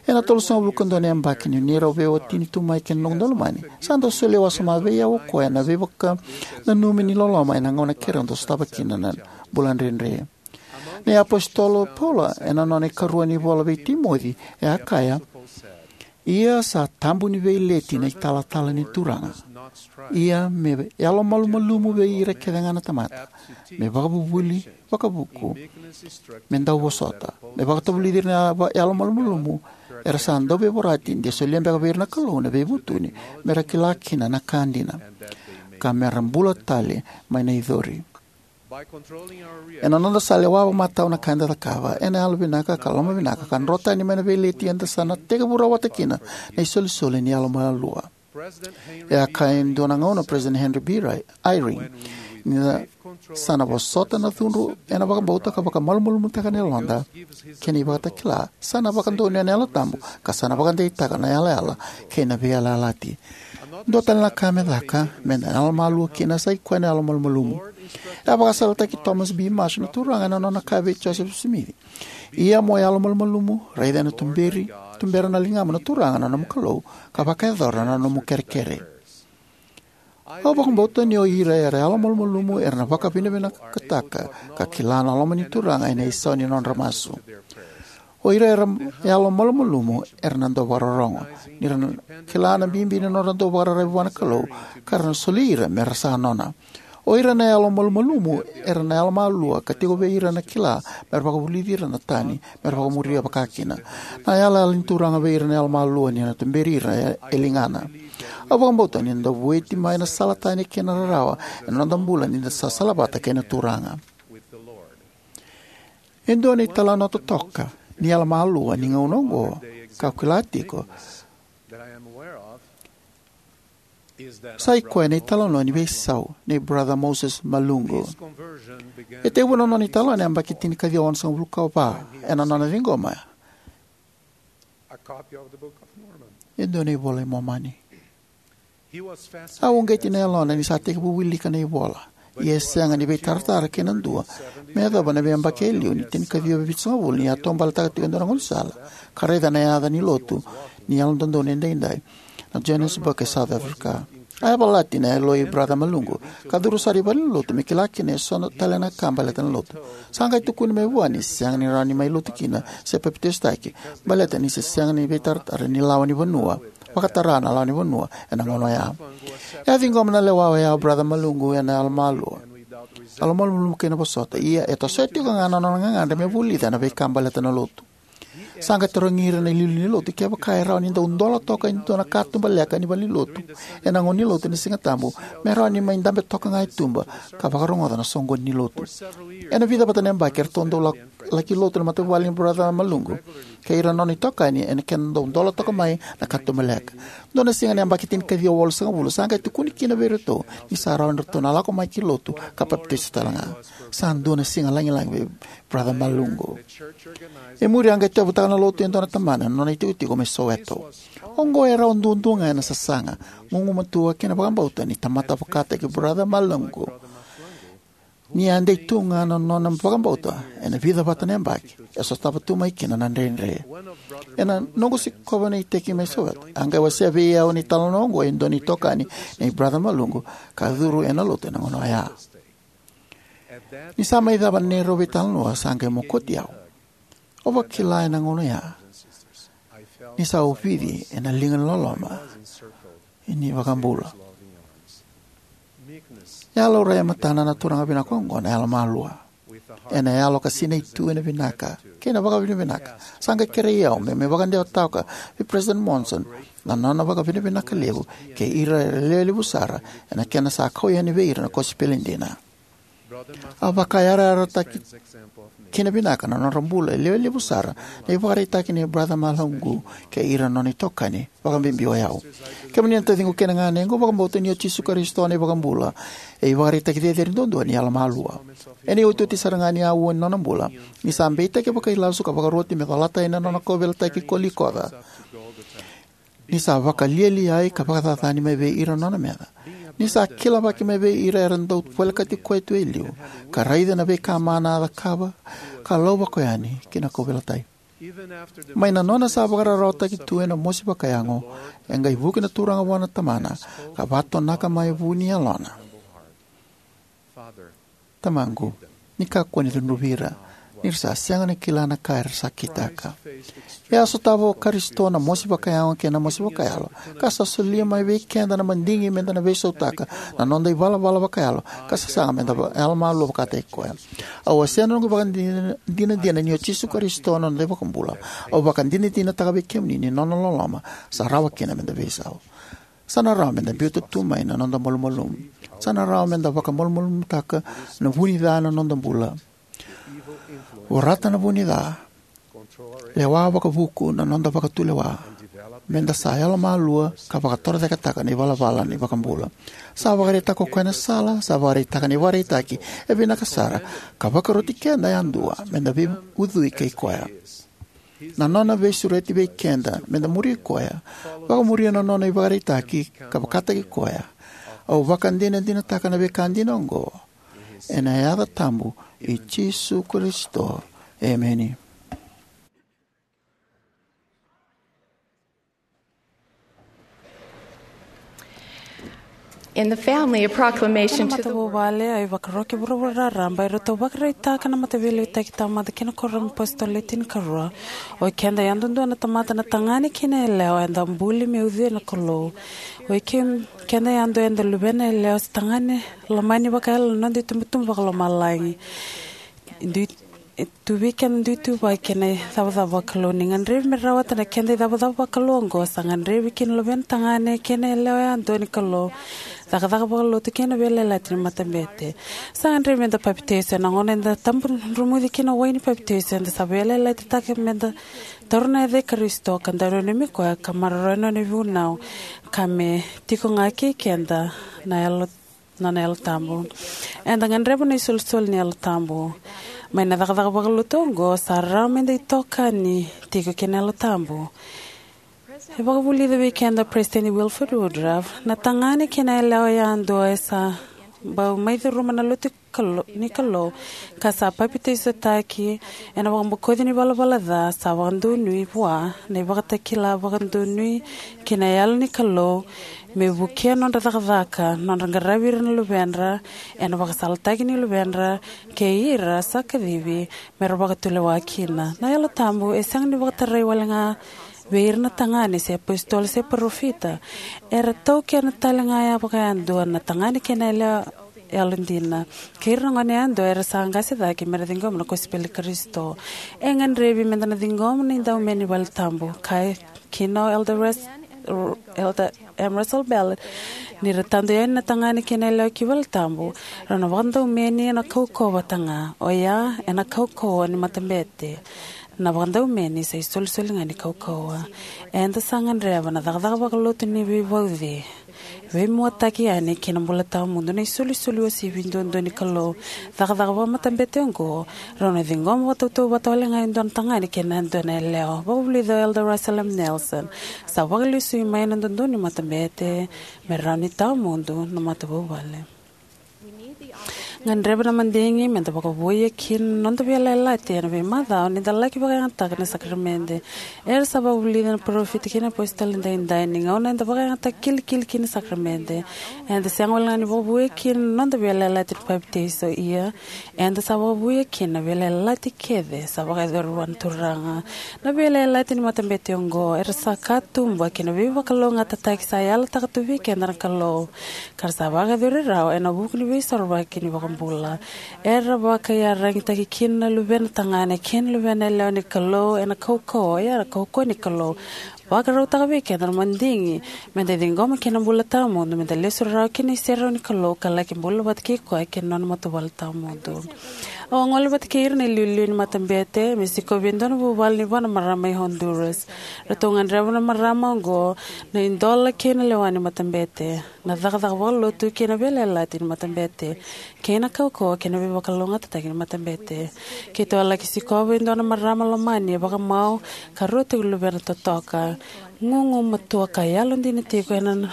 Ena tolusagavulu ka dua na yabaki ni neirau veiwatini tu mai kei na noqu daulomani, sa dau solia wasoma vei au o koya na veivakananumi ni loloma ena gauna keirau dau sotava kina na bula dredre. Na iapositolo Paula ena nona ikarua ni vola vei Timoci e a kaya: Ia sa tabu ni veileti na italatala ni Turaga. Ia me yalomalumalumu vei ira kece ga na tamata, me vakavuvuli, vakavuku, me dau vosota, me vakatavulici ira na va- yalomalumalumu era sa dau veivorati, de solia beka vei ira na Kalou na veivutuni me ra kila kina na ka dina, ka me ra bula tale mai na icori. Ena noda sa lewa vakamatau na ka eda cakava, ena yalovinaka ka lomavinaka ka dro tani mai na veileti eda sa na tekivu rawata kina na isolisoli ni yalomalua. E a kaya e dua na gauna o President Henry B. Ry- Eyring, ni da sa na vosota na cudru ena vakabauta ka vakamalumalumutaka na yaloda kei na ivakatakila, sa na vakadonuya na Yalo Tabu, ka sa na vakadeitaka na yalayala kei na veiyalayalati. Dua tale na ka me caka me da yalomalua kina sa i koya na yalomalumalumu. E a vakasalataki Thomas B. Marsh na Turaga ena nona kaya vei Joseph Smith: Ia mo yalomalumalumu, raica ena tuberi, tubera na ligamu na Turaga na nomu Kalou, ka vakayacora na nomu kerekere. Au vakabauta ni o ira era yalomalumalumu era na vakavinavinakataka ka kila na loma ni Turaga ena isau ni nodra masu. O ira era yalomalumalumu era na dau vakarorogo ni ra na kila na bibi ni nodra dau vakararavi vua na Kalou, ka ra na soli ira me ra sa nona. O ira na yalomalumalumu era na yalomalua ka tiko vei ira na kila me ra vakavulici ira na tani me ra vakamuria vakakina. Na yalayala ni Turaga vei ira na yalomalua ni na tuberi ira e, e ligana. Au vakabauta ni da vueti mai na sala tani kei na rarawa ena noda bula ni da sa salavata kei na Turaga. E dua na italanoa totoka ni yalomalua ni gauna oqo ka au kila tiko sa i koya na italanoa ni veisau nei Brother Moses Malungu. E tekivu na nona italanoa ena yabaki tinikaciwa onosagavulu ka va ena nona ciqoma e dua na iVola i Momani. A uqeti na yalona ni sa tekivu wilika na ivola, ia e sega ni veitaratara kei na dua me yacova na veiyabaki e liu ni tinikaciwa vitusagavulu ni a taubaletaka tiko e dua na gaunisala ka raica na yaca ni lotu ni Yalododonu Edaidai, na Johannesburg e South Africa. A yavalati na yaloi Brother Malungu ka curu sara i valenilotu me kila kina eso tale na ka baleta na lotu. Sa qai tukuni mai vua ni sega ni rawa ni mai lotu kina se papitaisotaki baleta ni se sega ni veitaratara ni lawa ni vanua, vakatara na lawa ni vanua ena gauna oya. E a ciqoma na lewa oya o Brother Malungu ena yalomalua, yalomalumalumu kei na vosota, ia e tosoya tiko ga na nona gagadre me vulica na veika baleta na lotu. Sa qai tarogi ira na iliuliu ni lotu kevaka e rawa ni dau dola toka e dua na katuba leka ni valenilotu ena gauna ni lotu ena Siga Tabu, me rawa ni mai dabe toka ga e tuba ka vakarogoca na soqoni ni lotu. Ena vica vata na yabaki eratou dau la- laki lotu na matavuvale ni Brother Malungu kei ira na nona itokani ena kena dau dola toka mai na katuba leka. Dua na siga ena yabaki tinikaciwa walusagavulu sa qai tukuni kina vei iratou ni sa rawa ni ratou na lako mai ki lotu ka papitaiso tale ga. Sa dua na siga lagilagi vei Brother Malungu. E muri a qai tauyavutaka na lotu e dua na tabana ena nona itikotiko mai Soweto. Oqo e rawa duadua ga ena sasaga, gugumatua kei na vakabauta ni tamata vakataki Brother Malungu. Ni a dei tu ga na nona vakabauta ena vica vata na yabaki e sotava tu mai kina na dredre. Ena noqu sikova na iteki mai Soweto, a qai wasea vei au na italanoa oqo e dua na itokani nei Brother Malungu ka curu ena lotu ena gauna oya. Ni sa mai cava na neirau veitalanoa, sa qai mokoti au. Au vakila ena gauna ya ni sa ovici ena liga ni loloma ni iVakabula. E a laurai e matana na turaga vinaka oqo na yalomalua. Ena yalo ka sinai tu ena vinaka kei na vakavinavinaka, sa qai kerei au meu mai vakadewataka vei President Monson na nona vakavinavinaka levu kei ira era lewe levu sara ena kena sa kau yani vei ira na kosipeli dina. A vakayarayarataki kina vinaka na nodra bula e lewe levu sara na ivakaraitaki nei Brother Mahlangu kei ira na nona itokani, vakabibi o yau. Kemuni na taciqu kei na ganequ, au vakabauta ni o Jisu Karisito na iVakabula e ivakaraitaki cecere duadua ni yalomalua. Ena iotioti sara ga ni aua ni nona bula, ni sa beitaki vakailasu ka vakaroti me colata yani na nona kauveilatai ki Kolikoca, ni sa vakalialiai ka vakacacani mai vei ira na nona meca, ni sa kilavaki mai vei ira era dau volekati koya tu e liu, ka raica na veika mana a cakava, ka lauvako yani ki na kauveilatai. Mai na nona sa vakararawataki tu ena mosi vakayago, e qai vuki na Turaga vua na Tamana, ka vatonaka mai vu ni yalona: Tamaqu, ni kakua ni cudruvi ira, ni ra sa sega ni kila na ka era sa kitaka. E a sotava o Karisito na mosi vakayago kei na mosi vakayalo, ka sa solia mai vei keda na madigi meda na veisautaka na noda ivalavala vakayalo ka sasaga meda va-, yalomalua vakataki koya. Au wasea na noqu ivakadinadina ni o Jisu Karisito na noda iVakabula. Au vakadinadinataka vei kemuni ni nona loloma sa rawa kina meda veisau. Sa na rawa meda biuta tu mai na noda malumalumu. Sa na rawa meda vakamalumalumutaka na vu ni ca na noda bula, vorata na vu ni ca, lewa vakavuku na noda vakatulewa, meda sa yalomalua ka vakatorocaketaka na ivalavala ni iVakabula. Sa vakaraitaka o koya na sala, sa vakaraitaka na ivakaraitaki e vinaka sara, ka vakaroti keda yadua meda veiucui kei koya. Na nona veisureti vei keda meda muri koya, vakamuria na nona ivakaraitaki ka vakataki koya. Au vakadinadinataka na veika dina oqo ena yaca tabu i Jisu Karisito. Emeni. In the family, a proclamation Kei na to the world. Matavuvale, a ivakaroki vuravura raraba, eratou vakaraitaka na Mataveiliutaki Taumada kei na Kuoramu ni iApositolo Le Tinikarua. O keda yadudua na tamata, na tagane kei na yalewa, eda buli me ucui na Kalou. O i ke-, keda yadua eda luvena yalewa se tagane lomani vakayalo na noda itubutubu vakalomalagi. Dui E tu vei keda na dui ituvaki kei na icavacava vakalou. Ni gadrevi me rawata na keda icavacava vakalou oqo, sa gadrevi kina na luvena tagane kei na yalewa yadua ni Kalou, cakacaka vakalotu kei na veiyalayalati ni matabete. Sa gadrevi meda papitaiso. Ena gauna eda tabu dromuci kina na wai ni papitaiso, eda sa veiyalayalatitaka meda taura na yaca i Karisito ka dau nanumi koya ka maroroya na nona vunau, ka me tiko ga kei keda na Yalo, na nona Yalo Tabu. Eda gadreva na isolisoli ni Yalo Tabu. Mai na cakacaka vakalotu oqo, sa rawa meda itokani tiko kei na Yalo Tabu. E vakavulica vei keda o Peresitedi Wilford Woodruff, na tagane kei na yalewa yadua e sa bau mai curuma na Lotu Kalou, ni Kalou, ka sa papitaisotaki ena vakabokoci ni valavala ca, sa vakadonui vua na ivakatakila vakadonui kei na Yalo ni Kalou, me vukea nodra cakacaka, nodra qaravi ira na luvedra ena vakasalataki ni luvedra, kei ira sa kacivi mera vakatulewa kina. Na Yalo Tabu e sega ni vakatarai wale ga vei ira na tagane se apositolo se parofita. Era taukena tale ga vakayadua na tagane kei na yalewa yalodina, kei ira na gone yadua era sa qase cake mera ciqoma na kosipeli i Karisito. E gadrevi meda na ciqoma na idaumeni valetabu. Kaya kina o Elder Res-, Elder M. Russell Ballard, ni ra tadu yani na tagane kei na yalewa ki valetabu, rau na vakadaumeni ena kaukauwa vata ga, oya ena kaukauwa ni matabete. Na vakadaumeni sa isolisoli ga ni kaukauwa. Eda sa gadreva na cakacaka vakalotu ni veivauci, veimuataki yani ki na bula tawamudu, na isolisoli uasivi duadua ni Kalou, cakacaka vakamatabete oqo, rau na ciqoma vakatautauvata wale ga e dua na tagane kei na dua na yalewa. Vakavulica o Elder Russell M. Nelson, sa vakalesui mai na dodonu ni matabete me rawa ni tawamudu na matavuvale. Gadreva na madigi me da vakavouia kina na noda veiyalayalati ena veimacawa ni da laki vakayagataka na sakaramede. Era sa vakavulica na parofita kei na apositolo edaidai ni gauna eda vakayagataka kilikili kina na sakaramede, eda sega walega ni vakavouia kina na noda veiyalayalati ni papitaiso, ia eda sa vakavouia kina na veiyalayalati kece sa vakayacori vua na Turaga. Na veiyalayalati ni matabete oqo era sa katuba kei na veivakalougatataki sa yalataka tu vei keda na Kalou, ka ra sa vakayacori rawa ena vuku ni Veisorovaki ni iVakabula. Era vakaiyaragitaki kina na luvena tagane kei na luvena yalewa ni Kalou ena kaukauwa, ia na kaukauwa ni Kalou vakarautaka vei keda na madigi me da ciqoma kina na bula tawamudu, me da lesu rawa ki na iserau ni Kalou ka laki bula vata kei koya kei na nona matavuvale tawamudu. Au a gole vata kei ira na iliuliu ni matabete me sikovi e dua na vuvale ni va na marama mai Honduras. Ratou gadreva na marama oqo na idola kei na lewa ni matabete, na cakacaka vakalotu kei na veiyalayalati ni matabete, kei na kaukauwa kei na veivakalougatataki ni matabete. Keitou a laki sikova e dua na marama lomani e vakamau ka rua tiko na luvena totoka, gugumatua ka yalodina tiko ena n-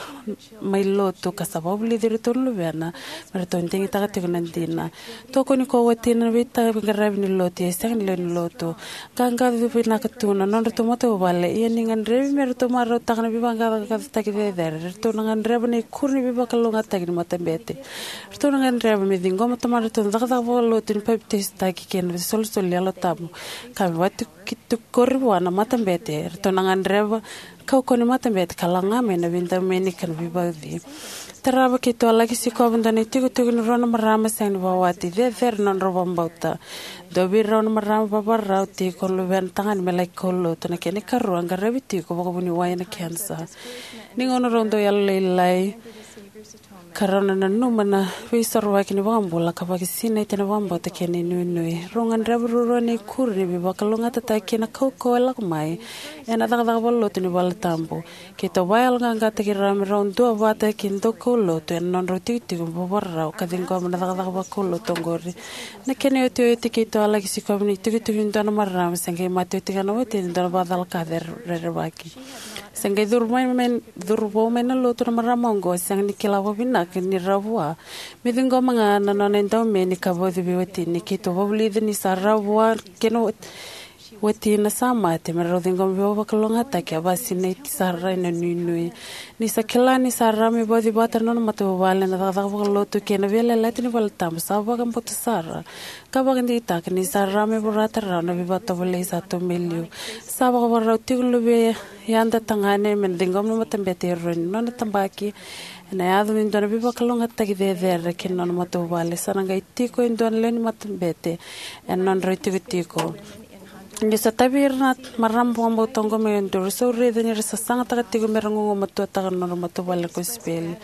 mai lotu, ka sa vakavulici iratou na luvena me ratou digitaka tiko na dina. Tokoni koya o watina na veitaqaravi ni lotu, ia e sega ni lewe ni lotu. Qaqaco vinaka tu na nodratou matavuvale, ia ni gadrevi me ratou marautaka na veivaqaqacotaki cecere, ratou na gadreva na ikuri ni veivakalougatataki ni matabete. Ratou na gadreva me ciqoma tomadratou na cakacaka vakalotu ni papitaisotaki kei na isolisoli ni Yalo Tabu, ka me vatukitukori vua na matabete. Ratou na gadreva kaukauwa ni matabete ka laga mai na veidaumeni ka na veivauci. Tarava keitou a laki sikova e dua na itikotiko ni rua na marama sega ni vakawati, cecere na nodrau vakabauta. Dua vei rau na marama vavarau tiko na luvena tagane me laki kaulotu. Na kena ikarua, qaravi tiko vakavuniwai ena kenisa. Ni gauna rau dau yalolailai, ka rau na nanuma na Veisorovaki ni iVakabula ka vakasinaiti ena vakabauta kei na inuinui. Rau gadreva ruarua na ikuri ni veivakalougatataki kei na kaukauwa e lako mai ena cakacaka vakalotu ni valetabu. Keitou vakayaloqaqataki rau me rau duavata kei na daukaulotu ena nodrau itikotiko vavarau ka ciqoma na cakacaka vakaulotu oqori. Na kena iotioti, keitou a laki sikova na itikotiko ni dua na marama se qai mate oti ga na watina e dua na vakacalaka rerevaki. Se qai curu mai, mai, curu vou mai na lotu na marama oqo, sega ni kila vakavinaka ni rawa vua me ciqoma ga na nona idaumeni ka vauci vei watina. Keitou vakavulica ni sa rawa vua kei na wat- watina sa mate me rau ciqoma veivakalougatataki. A vakasinaiti sara ena nuinui. Ni sa kila ni sa rawa me vauci vata na nona matavuvale ena cakacaka vakalotu kei na veiyalayalati ni valetabu, sa vakabauta sara ka vakadigitaka ni sa rawa me vorata rawa na veivakatovolei sa tu mai liu. Sa vakavakarau tiko na luvei yada tagane me na ciqoma na matabete e rua ni nona tabaki ena yaco me dua na veivakalougatataki cecere kei na nona matavuvale. Sa na qai tiko e dua na lewe ni matabete ena nodrau itikotiko. Niu sa tavi ira na marama vakabauta oqo mai Honduras, au raica ni ra sasagataka tiko me ra gugumatuataka na nodra matavuvale na kosipeli.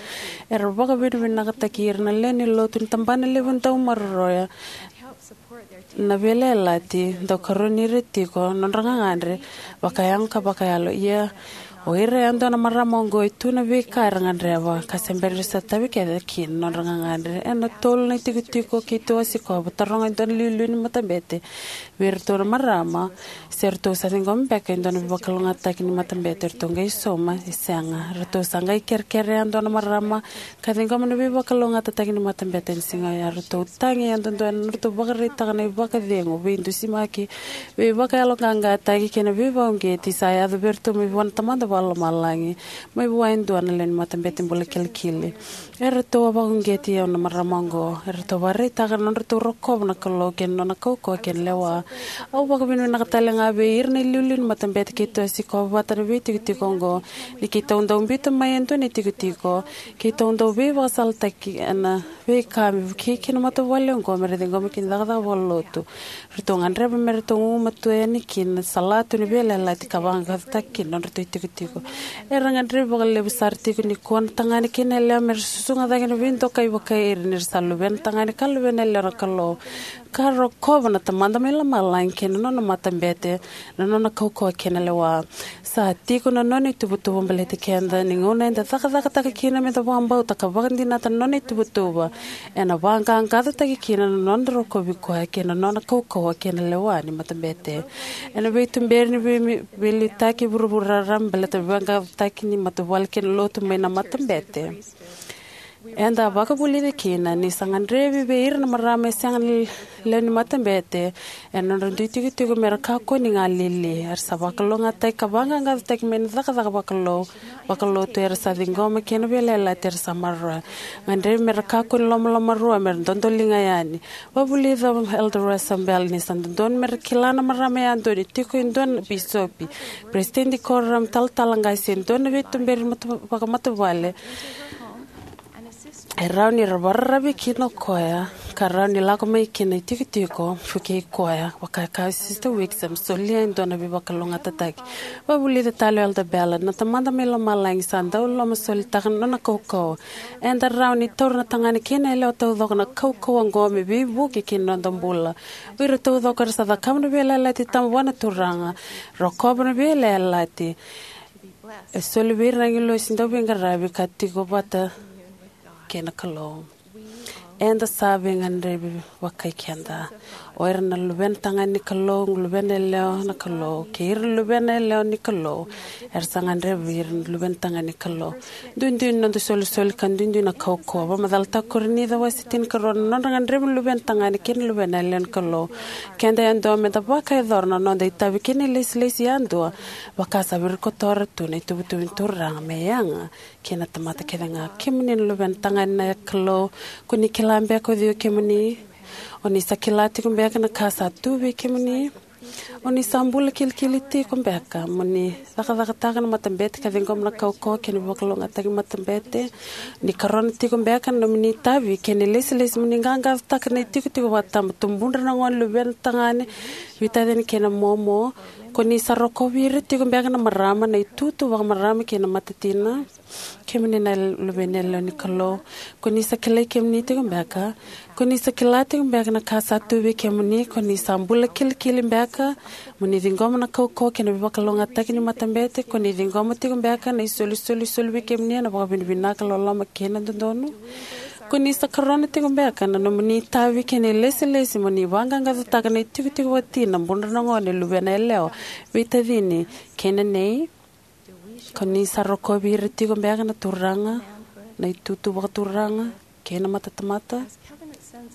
Era vakavinavinakataki ira na lewe ni lotu ni tabana levu dau maroroya na veiyalayalati, dau karoni ira tiko na nodra gagadre vakayago ka vakayalo. Ia, o ira yadua na marama oqo e tu na veika era gadreva, ka se bera ni ra sa tavi kece kina na nodra gagadre. Ena tolu na itikotiko keitou a sikova, taroga e dua na iliuliu ni matabete vei iratou na marama se ratou sa ciqoma beka e dua na veivakalougatataki ni matabete. Ratou qai sauma ni sega. Ratou sa qai kerekere yadua na marama ka ciqoma na veivakalougatataki ni matabete ena siga oya. Ratou tagi yadudua ena nodratou vakaraitaka na ivakacegu, veidusimaki, veivakayaloqaqataki kei na veivakauqeti sa yaco vei iratou mai vua na Tamada Vakalomalagi, mai vua e dua na lewe ni matabete bula kilikili. Eratou a vakauqeti au na marama oqo. Eratou vakaraitaka na nodratou rokova na Kalou kei na nona kaukauwa kei na lewa. Au vakavinavinaka tale ga vei ira na iliuliu ni matabete keitou a sikova vata ena veitikotiko oqo. Ni keitou dau biuta mai e dua na itikotiko, keitou dau veivakasalataki ena veika me vukei kina na matavuvale oqo me ra ciqoma kina na cakacaka vakalotu. Ratou gadreva me ratou gugumatua yani kina na salatu ni veiyalayalati ka vaqaqacotaki kina na nodratou itikotiko. Era gadrevi vakalevu sara tiko nikua na tagane kei na yalewa me ra susuga cake na veidokai vakai ira ni ra sa luvena tagane ka luvena yalewa na Kalou, ka rokova na Tamada mai lomalagi kei na nona matabete, na nona kaukauwa kei na lewa. Sa tiko na nona ituvatuva baleti keda ni gauna eda cakacakataka kina me da vakabauta ka vakadinata na nona ituvatuva, ena vaqaqacotaki kina na noda rokovi koya kei na nona kaukauwa kei na lewa ni matabete. Ena veituberi ni vei, veiliutaki e vuravura raraba baleta na veivaqaqacotaki ni matavuvale kei na lotu mai na matabete, Eda a vakavulica kina ni sa gadrevi vei ira na marama e sega na lewe ni matabete ena nodra dui tikotiko me ra kakua ni galili. Era sa vakalougatataki ka vaqaqacotaki mai na cakacaka vakalou, vakalotu era sa ciqoma kei na veiyalayalati era sa maroroya. Gadrevi me ra kakua ni lomalomarua, me ra dodoliga yani. Vakavulica o Elder Russell Ballard ni sa dodonu me ra kila na marama yadua ni tiko e dua na bisopi, peresitedi ni kuoramu, talatala qase, e dua na veituberi mata-, vakamatavuvale. E rawa ni ra vakararavi kina o koya, ka rawa ni lako mai kina itikotiko, vukei koya, vaka e kaya o Sister Wixom, solia e dua na veivakalougatataki. Vakavulica tale o Elder Ballard, na Tamada mai lomalagi sa dau lomasolitaka na nona kaukauwa. Eda rawa ni taura na tagane kei na yalewa taucoko na kaukauwa oqo me veivuke ki na noda bula. O ira taucoko era sa cakava na veiyalayalati tabu vua na Turaga, rokova na veiyalayalati. E soli vei ira na agilosi dauveiqaravi ka tiko vata kei na Kalou. Eda sa veigadrevi vakai keda. O ira na luvena tagane ni Kalou, luvena yalewa na Kalou, kei ira na luvena yalewa ni Kalou, era sa gadrevi ira na luvena tagane ni Kalou. Duidui na noda isolisoli ka duidui na kaukauwa. Vakamacalataka o Korinica wase tinikarua na nodra gadrevi na luvena tagane kei na luvena yalewa ni Kalou. Keda yadua meda vakayacora na noda itavi kei na ilesilesi yadua, vaka sa virikotora tu na ituvatuva ni Turaga me yaga kei na tamata kece ga. Kemuni na luvena tagane na Kalou, ko ni kila beka o cei o kemuni? O ni sa kila tiko beka na ka sa tu vei kemuni? O ni sa bula kilikili tiko beka mo ni cakacakataka na matabete ka ciqoma na kaukauwa kei na veivakalougatataki ni matabete? Ni karona tiko beka na nomuni itavi kei na ilesilesi mo ni qaqacotaka na itikotiko vakatabu, tubudra na gone, luvena tagane, veitacini kei na momo? Ko ni sa rokovi ira tiko beka na marama, na itutu vakamarama kei na matatina? Kemuni na luvena yalewa ni Kalou, ko ni sa kilai kemuni tiko beka? Ko ni sa kila tiko beka na ka sa tu vei kemuni? Ko ni sa bula kilikili beka mo ni ciqoma na kaukauwa kei na veivakalougatataki ni matabete? Ko ni ciqoma tiko beka na isolisoli soli vei kemuni ena vakavinavinaka, loloma kei na dodonu? Ko ni sa karona tiko beka na nomuni itavi kei na ilesilesi mo ni vaqaqacotaka na itikotiko vakatina, budra na gone, luvena yalewa, veitacini kei na nei? Ko ni sa rokovi ira tiko beka na turaga, na itutu vakaturaga kei na matatamata,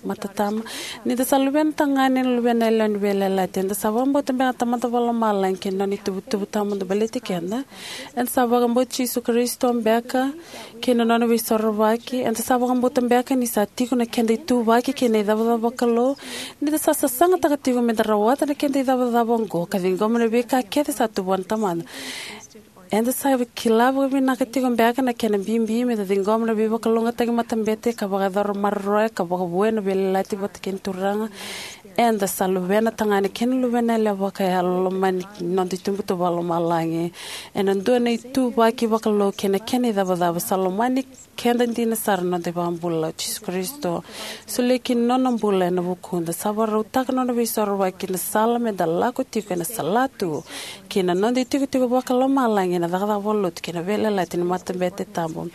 matatama? Ni da sa luvena tagane, na luvena yalewa ni veiyalayalati, eda sa vakabauta beka na Tamada Vakalomalagi kei na nona ituvatuva tawamudu baleti keda? Eda sa vakabauti Jisu Karisito beka kei na nona veisorovaki? Eda sa vakabauta beka ni sa tiko na keda ituvaki kei na icavacava vakalou? Ni da sa sasagataka tiko meda rawata na keda icavacava oqo ka ciqoma na veika kece sa tu vua na Tamada, eda sa kila vakavinaka tiko beka na kena bibi meda ciqoma na veivakalougatataki ni matabete ka vakayacora maroroya ka vakavoui ena veiyalayalati vata kei na Turaga? Eda sa luvena tagane kei na luvena yalewa vakayalo, lomani noda ituvatuva vakalomalagi ena dua na ituvaki vakalou kei na kena icavacava. Sa lomani keda dina sara na noda iVakabula o Jisu Karisito. Solia kina na nona bula ena vukuda. Sa vakarautaka na nona veisorovaki na sala meda lako tiko ena salatu kei na noda itikotiko vakalomalagi ena cakacaka vakalotu kei na veiyalayalati ni matabete tabu.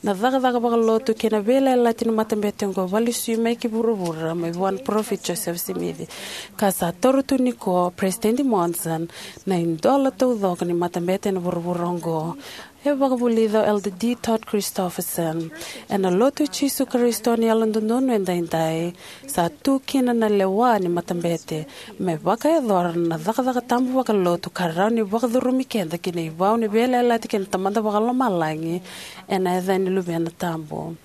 Na cakacaka vakalotu kei na veiyalayalati ni matabete oqo e vakalesui mai ki vuravura mai vua na Parofita Josefa Simici, ka sa taura tu nikua o Peresitedi Monson na idola taucoko ni matabete ena vuravura oqo. E vakavulica o Elder D Todd Christofferson: Ena Lotu i Jisu Karisito ni Yalododonu Edaidai, sa tu kina na lewa ni matabete me vakayacora na cakacaka tabu vakalotu ka rawa ni vakacurumi keda ki na ivau ni veiyalayalati kei na Tamada Vakalomalagi ena yaca ni Luvena Tabu.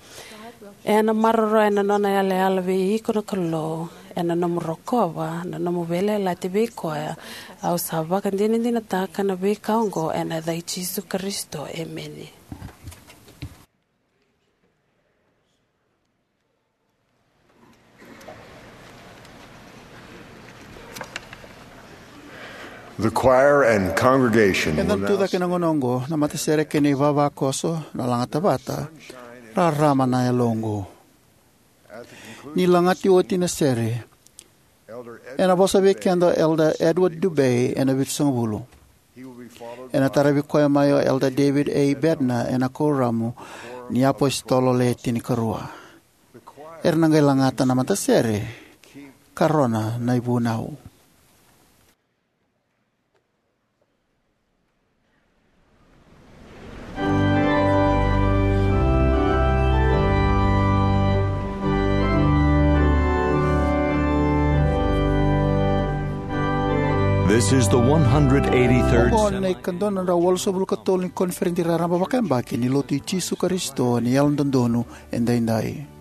Ena maroroya na nona yalayala vei iko na Kalou ena nomu rokova na nomu veiyalayalati vei koya. Au sa vakadinadinataka na veika oqo ena yaca i Jisu Karisito, emeni. The choir and congregation. Ena tucake na gauna oqo na matasere kei na ivavakoso na lagata vata, Rarama na Yaloqu. Ni lagati oti na sere, ena vosa vei keda o Elder Edward Dubé ena Vitusagavulu. Ena taravi koya mai o Elder David A Bednar ena Kuoramu ni iApositolo Le Tinikarua. Era na qai lagata na matasere, Karona na iVunau. This is the one hundred eighty-third. Oqo na ikaduadrau walusagavulu ka tolu ni koniferedi raraba vakayabaki ni Lotu i Jisu Karisito ni Yalododonu Edaidai.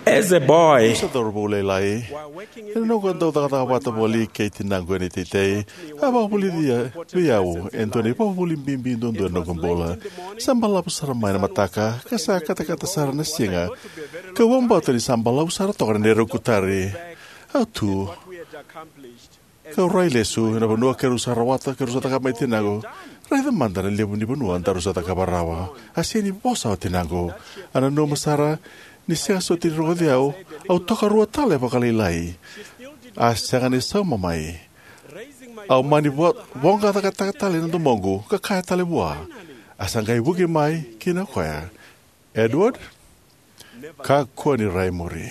As a boy, sa cauravou lailai, ena noqu dau cakacaka vata voli kei tinaqu ena iteitei, a vakavulica vei au e dua na ivakavuvuli bibi duadua ena noqu bula. Sa balavu sara mai na mataka, ka sa katakata sara na siga. Kau vakabauta ni sa balavu sara toka na neirau kutari. Au tu kau rai lesu ena vanua keirau sa rawata, keirau sa cakava mai tinaqu. Raica mada na levu ni vanua daru sa cakava rawa. A sega ni vosa o tinaqu. A nanuma sara ni sega soti ni rogoci au, au tokarua tale vakalailai. A sega ni sauma mai. Au mani vo-, voqa cakacaka tale na domoqu, ka kaya tale vua. A sa qai vuki mai kina o koya. Edward, kakua ni rai muri.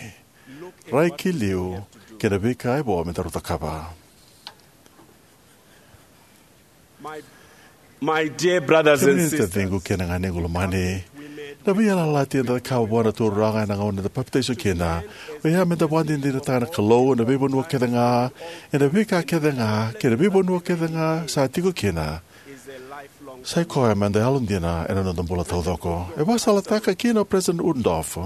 Rai ki liu kei na veika e vo me daru cakava. My, my dear brothers and sisters, taciqu kei na ganequ lomani, na veiyalayalati eda cakava vua na Turaga ena gauna eda papitaiso kina, oya meda vakadinadinataka na Kalou ena veivanua kece ga, ena veika kece ga, kei na veivanua kece ga sa tiko kina. Sa i koya meda yalodina ena noda bula taucoko. E vakasalataka kina o President Uchtdorf,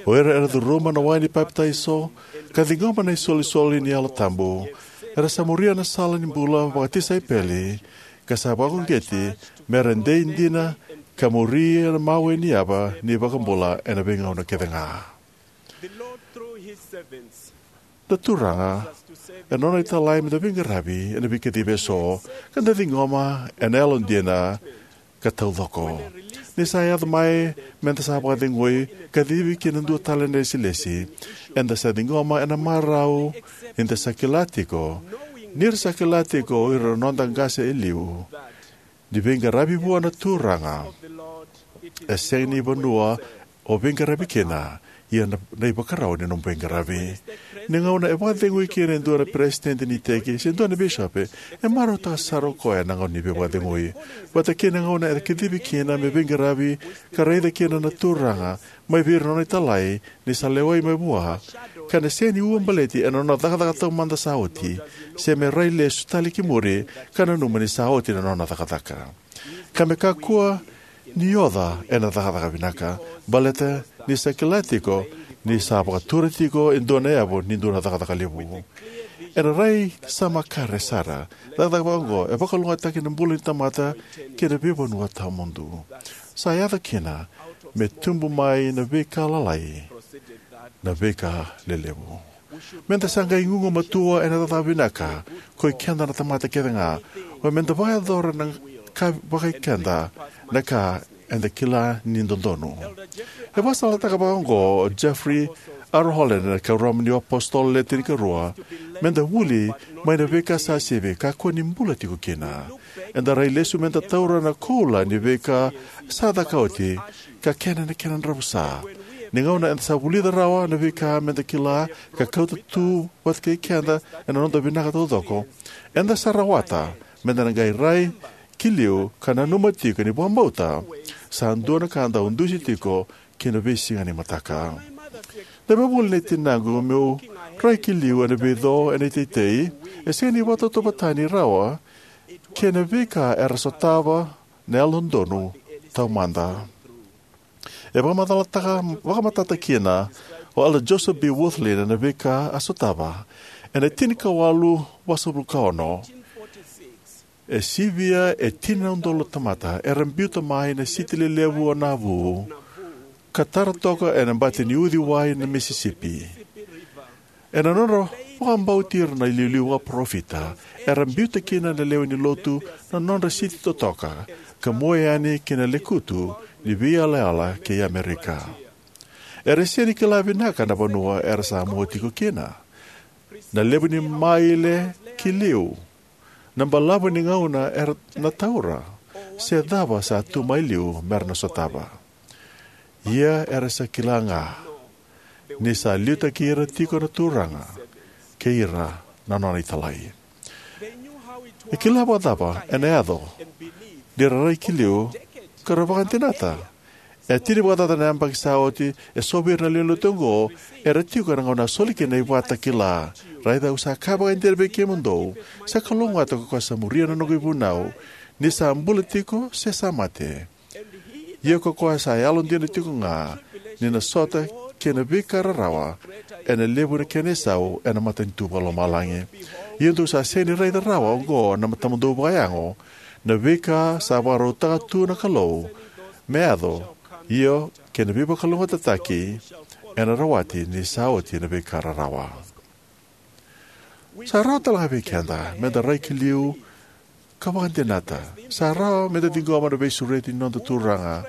o ira era curuma na wai ni papitaiso ka ciqoma na isolisoli ni Yalo Tabu, Era sa muria na sala ni bula vakatisaipeli ka sa vakauqeti me ra dei dina ka muria na mawe ni yava ni iVakabula ena veigauna kece ga. Na Turaga, ena Nona italai me da veiqaravi ena veikacivi eso, ka da ciqoma ena yalodina ka taucoko. Ni sa yaco mai me da sa vakacegui, kacivi ki na dua tale na ilesilesi, eda sa ciqoma ena marau ni da sa kila tiko, ni ra sa kila tiko o ira na noda qase e liu, ni veiqaravi vua na Turaga e sega ni vanua o veiqaravi kina, ia na, na ivakarau ni nomu veiqaravi. Ni gauna e vakacegui kina e dua na peresitedi ni iteki se dua na bisopi, e marautaka sara o koya na gauna ni veivakacegui. Vata kei na gauna e kacivi kina me veiqaravi ka raica kina na Turaga mai vei ira na Nona italai ni sa lewai mai vua, ka na sega ni uabaleti ena nona cakacaka taumada sa oti, se me rai lesu tale ki muri ka nanuma ni sa oti na nona cakacaka. Ka me kakua ni oca ena cakacaka vinaka, baleta ni sa kila tiko ni sa vakatura tiko e dua na yavu ni dua na cakacaka levu. Ena rai sa makare sara, cakacaka vakaoqo e vakalougatataki na bula ni tamata kei na veivanua tawamudu. Sa yaco kina me tubu mai na veika lalai na veika lelevu. Me da sa qai gugumatua ena cakacaka vinaka ko i keda na tamata kece ga, o me da vakayacora na ka vakai keda na ka eda kila ni dodonu. E vakasalataka vakaoqo o Jeffrey R. Holland ena Kuoramu ni iApositolo Le Tinikarua: me da vuli mai na veika sa sivi, kakua ni bula tiko kina. Eda rai lesu me da taura na koula ni veika sa caka oti, ka kena na kena dravusa. Ni gauna eda sa vulica rawa na veika me da kila ka kauta tu vata kei keda ena noda vinaka taucoko, eda sa rawata me da na qai rai ki liu ka nanuma tiko ni vakabauta sa dua na ka dau dusi tiko ki na veisiga ni mataka. Na veivuli nei tinaqu meu rai ki liu ena veico ena iteitei e sega ni vakatauvatani rawa kei na veika era sotava na Yalododonu Taumada. E vakamacalataka, vakamatata kina o Elder Joseph B. Wirthlin na veika a sotava. Ena tinikawalu vasagavulu ka ono, e sivia e tini na udolu na tamata era biuta mai na siti lelevu o Nauvoo ka tara toka ena bati ni uciwai na Misisipi. Ena nodra vakabauti ira na iliuliu vakaparofita, era biuta kina na lewe ni Lotu na nodra siti totoka ka mua yani ki na lekutu ni veiyalayala kei Amerika. Era sega ni kila vinaka na vanua era sa mua tiko kina, na levu ni maile ki liu, na balavu ni gauna era na taura, se cava sa tu mai liu mera na sotava. Ia era sa kila ga ni sa liutaki ira tiko na Turaga kei ira na Nona italai. E kila vakacava ena yaco ni ra rai ki liu ka ra vakadinata. E tini vakacaca na yabaki sa oti, eso vei ira na lewe ni Lotu oqo era tiko ena gauna a soli kina na ivakatakila. Raica, au sa kaya vakaidina vei kemudou, sa kalougata ko koya sa muria na noqu ivunau, ni sa bula tiko se sa mate. Ia ko koya sa yalodina tiko ga, ni na sota kei na veika rarawa, ena levu na kena isau ena matanitu vakalomalagi. Ia dou sa sega ni raica rawa oqo na matamudou vakayago, na veika sa vakarautaka tu na Kalou me yaco, io, kei na veivakalougatataki ena rawati ni sa oti na veika rarawa. Sa rawa tale ga vei keda me da rai ki liu ka vakadinata. Sa rawa me da ciqoma na veisureti ni noda Turaga.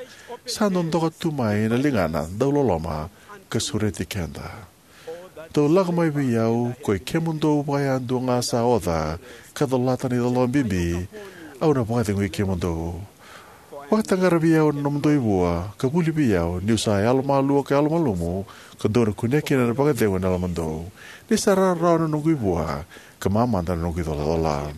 Sa dodoka tu mai na ligana dauloloma ka sureti keda. Dou lako mai vei au, koi kemudou vakayadua ga sa oca ka colata na icolacola bibi, au na vakacegui kemudou. Vakataqara vei au na nomudou ivua, ka vuli vei au, niu sa yalomalua ka yalomalumu, ka dou na kunea kina na vakacegu ni yalomudou. Ni sa rawarawa na noqu ivua, ka mamada na noqu icolacola.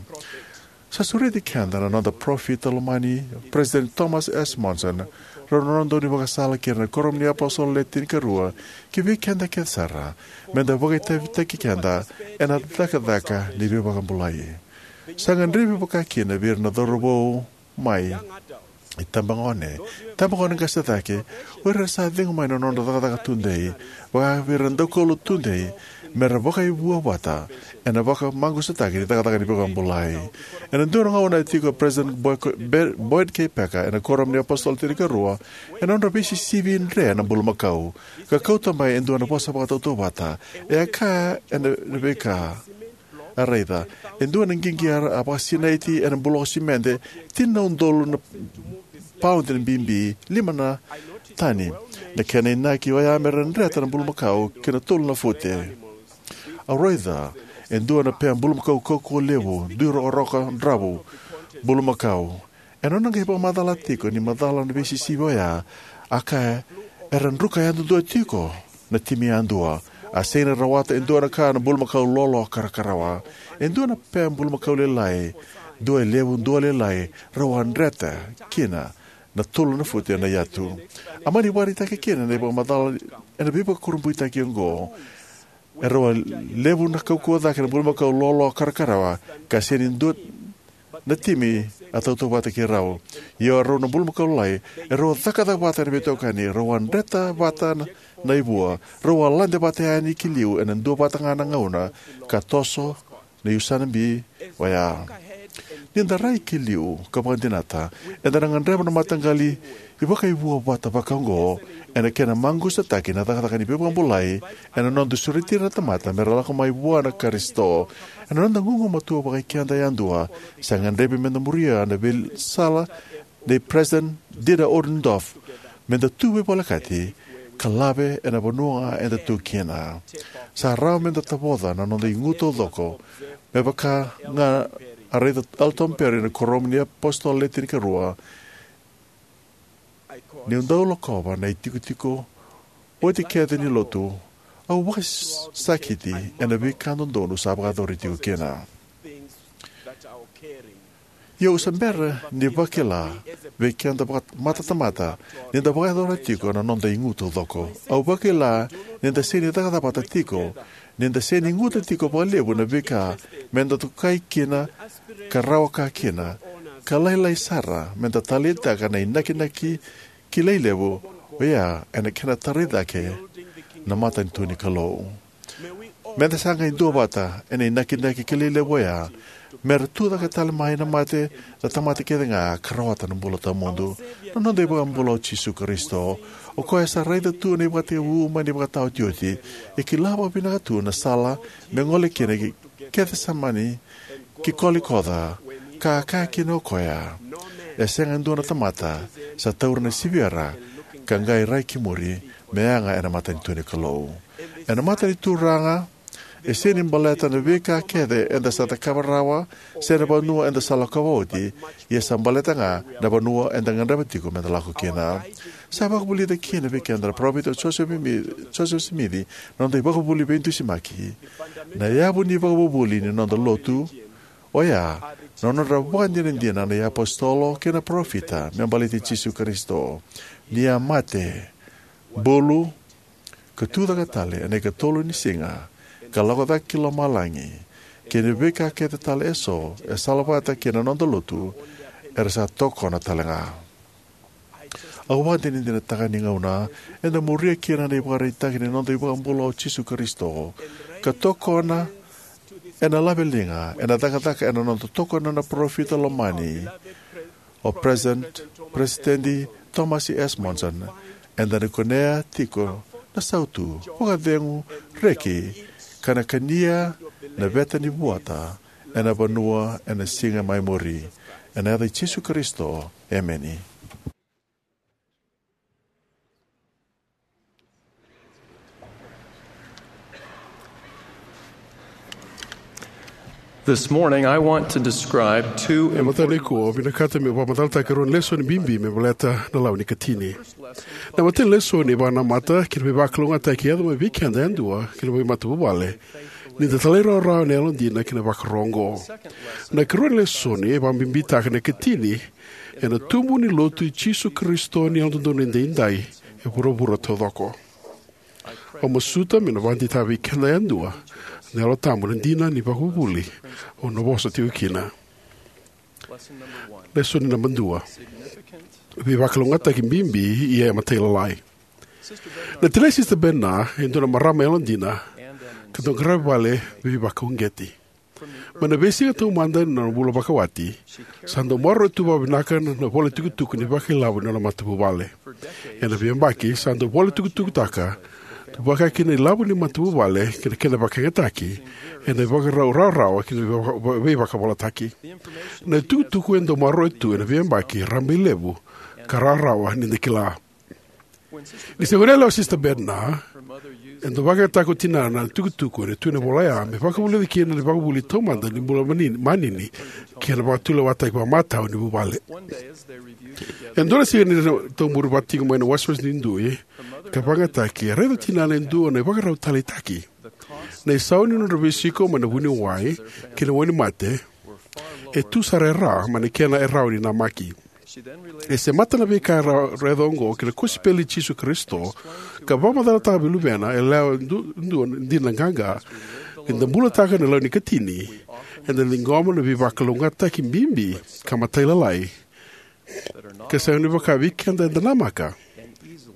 Sa sureti keda na noda parofita lomani, President Thomas S. Monson, rau na noda daunivakasala kei ira na Kuoramu ni iApositolo Le Tinikarua, ki vei keda kece sara, me da vakaitavitaki keda ena cakacaka ni veivakabulai. Sa gadrevi vakakina vei ira na cauravou mai Itabagone, itabagone qase cake, o ira era sa cegu mai na nodra cakacaka tudei, vaka vei ira na daukaulotu tudei, me ra vakaivua vata ena vakamaqusataki ni cakacaka ni veivakabulai. Ena dua na gauna e tiko o President Boy-, Be-, Boyd K. Packer ena Kuoramu ni iApositolo Tinikarua ena nodra veisisivi dre na bulumakau, ka kauta mai e dua na vosa vakatautauvata. E a kaya ena veika a raica. E dua na qiqi a vakasinaiti ena buloko simede, tini na udolu na paudi na bibi, lima na tani. Na kena inaki oya me ra dreta na bulumakau ki na tolu na fute. Au raica e dua na pea bulumakau kaukauwa levu, dui rokaroka dravu, bulumakau. Ena nona qai vakamacala tiko ni macala na veisisivi oya, a kaya, era druka yadudua tiko na timi yadua. A sega ni rawata e dua na ka na bulumakau lolo karakarawa. E dua na pea bulumakau lailai, dua e levu, dua lailai, rau a dreta kina na tolu na fute na yatu. A mani vakaraitaki kina na ivakamacala ena veivakurabuitaki oqo. E rau a levu na kaukauwa cake na bulumakau lolo karakarawa, ka sega ni dua na timi a tautauvata kei rau. Ia o rau na bulumakau lailai, e rau a cakacaka vata ena veitokani, rau a dreta vata na, na ivua, rau a lade vata yani ki liu ena dua vata ga na gauna, ka toso na iusana bibi oya. Ni da rai ki liu ka vakadinata, eda na gadreva na mataqali ivakaivua vata vakaoqo, ena kena maqusataki na cakacaka ni veivakabulai, ena noda sureti ira na tamata me ra lako mai vua na Karisito. Ena noda gugumatua vakaikeda yadua, sa gadrevi me da muria na veisala nei President Dieter Uchtdorf, me da tu veivolekati ka lave ena vanua ga eda tu kina. Sa rawa me da tavoca na noda igu taucoko, me vaka ga a raica Elton Perry ena Kuoramu ni iApositolo Le Tinikarua, niu dau lakova na itikotiko oti kece ni lotu, au vakasakiti ena veika dodonu sa vakayacori tiko kina. Ia au sa bera ni vakila vei keda vaka-, matatamata, ni da vakayacora tiko na noda igu taucoko. Au vakila ni da sega ni cakacaka vata tiko, ni da sega ni guta tiko vakalevu na veika me da tokai kina, ka rawa ka kina, ka lailai sara me da taleitaka na inakinaki kilai levu oya ena kena tarai cake na matanitu ni Kalou. Me da sa qai duavata ena inakinaki kilai levu oya, me ra tucake tale mai na mate na tamata kece ga ka rawata na bula tawamudu. Na noda iVakabula o Jisu Karisito, o koya sa raica tu na ivakatekivu mai na ivakataotioti, e kila vakavinaka tu na sala me gole kina ki Kecisemani, ki Kolikoca, ka a kaya kina o koya, e sega e dua na tamata sa taura na siviyara ka qai rai ki muri me yaga ena matanitu ni Kalou. Ena mata ni Turaga, e sega ni baleta na veika kece eda sa cakava rawa se na vanua eda sa lakova oti, ia sa baleta ga na vanua eda gadreva tiko me da lako kina. Sa vakavulica kina vei keda na parofita o Josefa Simi-, Josefa Simici na noda ivakavuvuli veidusimaki. Na yavu ni ivakavuvuli ni noda lotu oya na nodra vakadinadina na iapositolo kei na parofita me baleti Jisu Karisito, ni a mate, bulu, ka tucake tale ena ikatolu ni siga, ka lako cake ki lomalagi, kei na veika kece tale eso e salavata kei na noda lotu, era sa tokona tale ga. Au vakadinadinataka ni gauna eda muria kina na ivakaraitaki ni noda iVakabula o Jisu Karisito, ka tokona ena laveliga ena cakacaka ena noda tokona na parofita lomani, o President, President Thomas S. Monson, eda na kunea tiko na sautu vakacegu, reki, ka na kania na veta ni vuata ena vanua ena siga mai muri. Ena yaca i Jisu Karisito, emeni. This morning, I want to describe two Ena mataka important nikua, au vinakata meu vakamacalataka e rua na lesoni bibi me baleta na lawa ni ikatini. Na imatai ni lesoni e vakanamata ki na veivakalougatataki e yaco mai vei keda yadua kei na veimatavuvale, ni da talairawarawa ena yalodina ki na ivakaro oqo. Na ikarua ni lesoni e vakabibitaka na ikatini ena tubu ni Lotu i Jisu Karisito ni Yalododonu Edaidai e vuravura taucoko. Au masuta meu na vakadeitaka vei keda yadua na Yalo Tabu na dina ni ivakavuvuli au na vosa tiko kina. Lesoni naba dua. Veivakalougatataki bibi ia e matailalai. Na tinai Sisita Bednar e dua na marama yalodina ka dau qaravi vale veivakauqeti. Mai na veisiga taumada ni nona bula vakawati, sa dau maroroya tu vakavinaka na, na vola tukutuku ni vakailavo ni nona matavuvale. Ena veiyabaki, sa dau vola tukutukutaka tu vakakina na ilavo ni matavuvale kei na kena vakayagataki ena ivakarau rawarawa kei na veiva-, veivakavolataki. Na itukutuku e dau maroroya tu ena veiyabaki rabailevu ka rawarawa ni da kila. Ni se gone yalewa o Sisita Bednar, e dau vakayagataka ko tinana na itukutuku ena tui ni vola oya me vakavulica kina na ivakavuvuli taumada ni bula manini, manini kei na vakatulewataki vakamatau ni vuvale. E dua na siga ni ra taumuri vata tiko mai na wasewase ni dui ka vakayagataki, e raica o tinana e dua na ivakarau taleitaki. Na isau ni nodra veisiko mai na vuniwai kei na wainimate e tu sara e ra mai na kena e rawa ni namaki. E semata na veika e ra-, raica oqo ki na kosipeli i Jisu Karisito, ka vakamacalataka vei luvena yalewa e du-, dua dina qaqa. Ni da bulataka na lawa ni ikatini, eda ciqoma na veivakalougatataki bibi ka matailalai ka sega ni vaka vei keda eda namaka.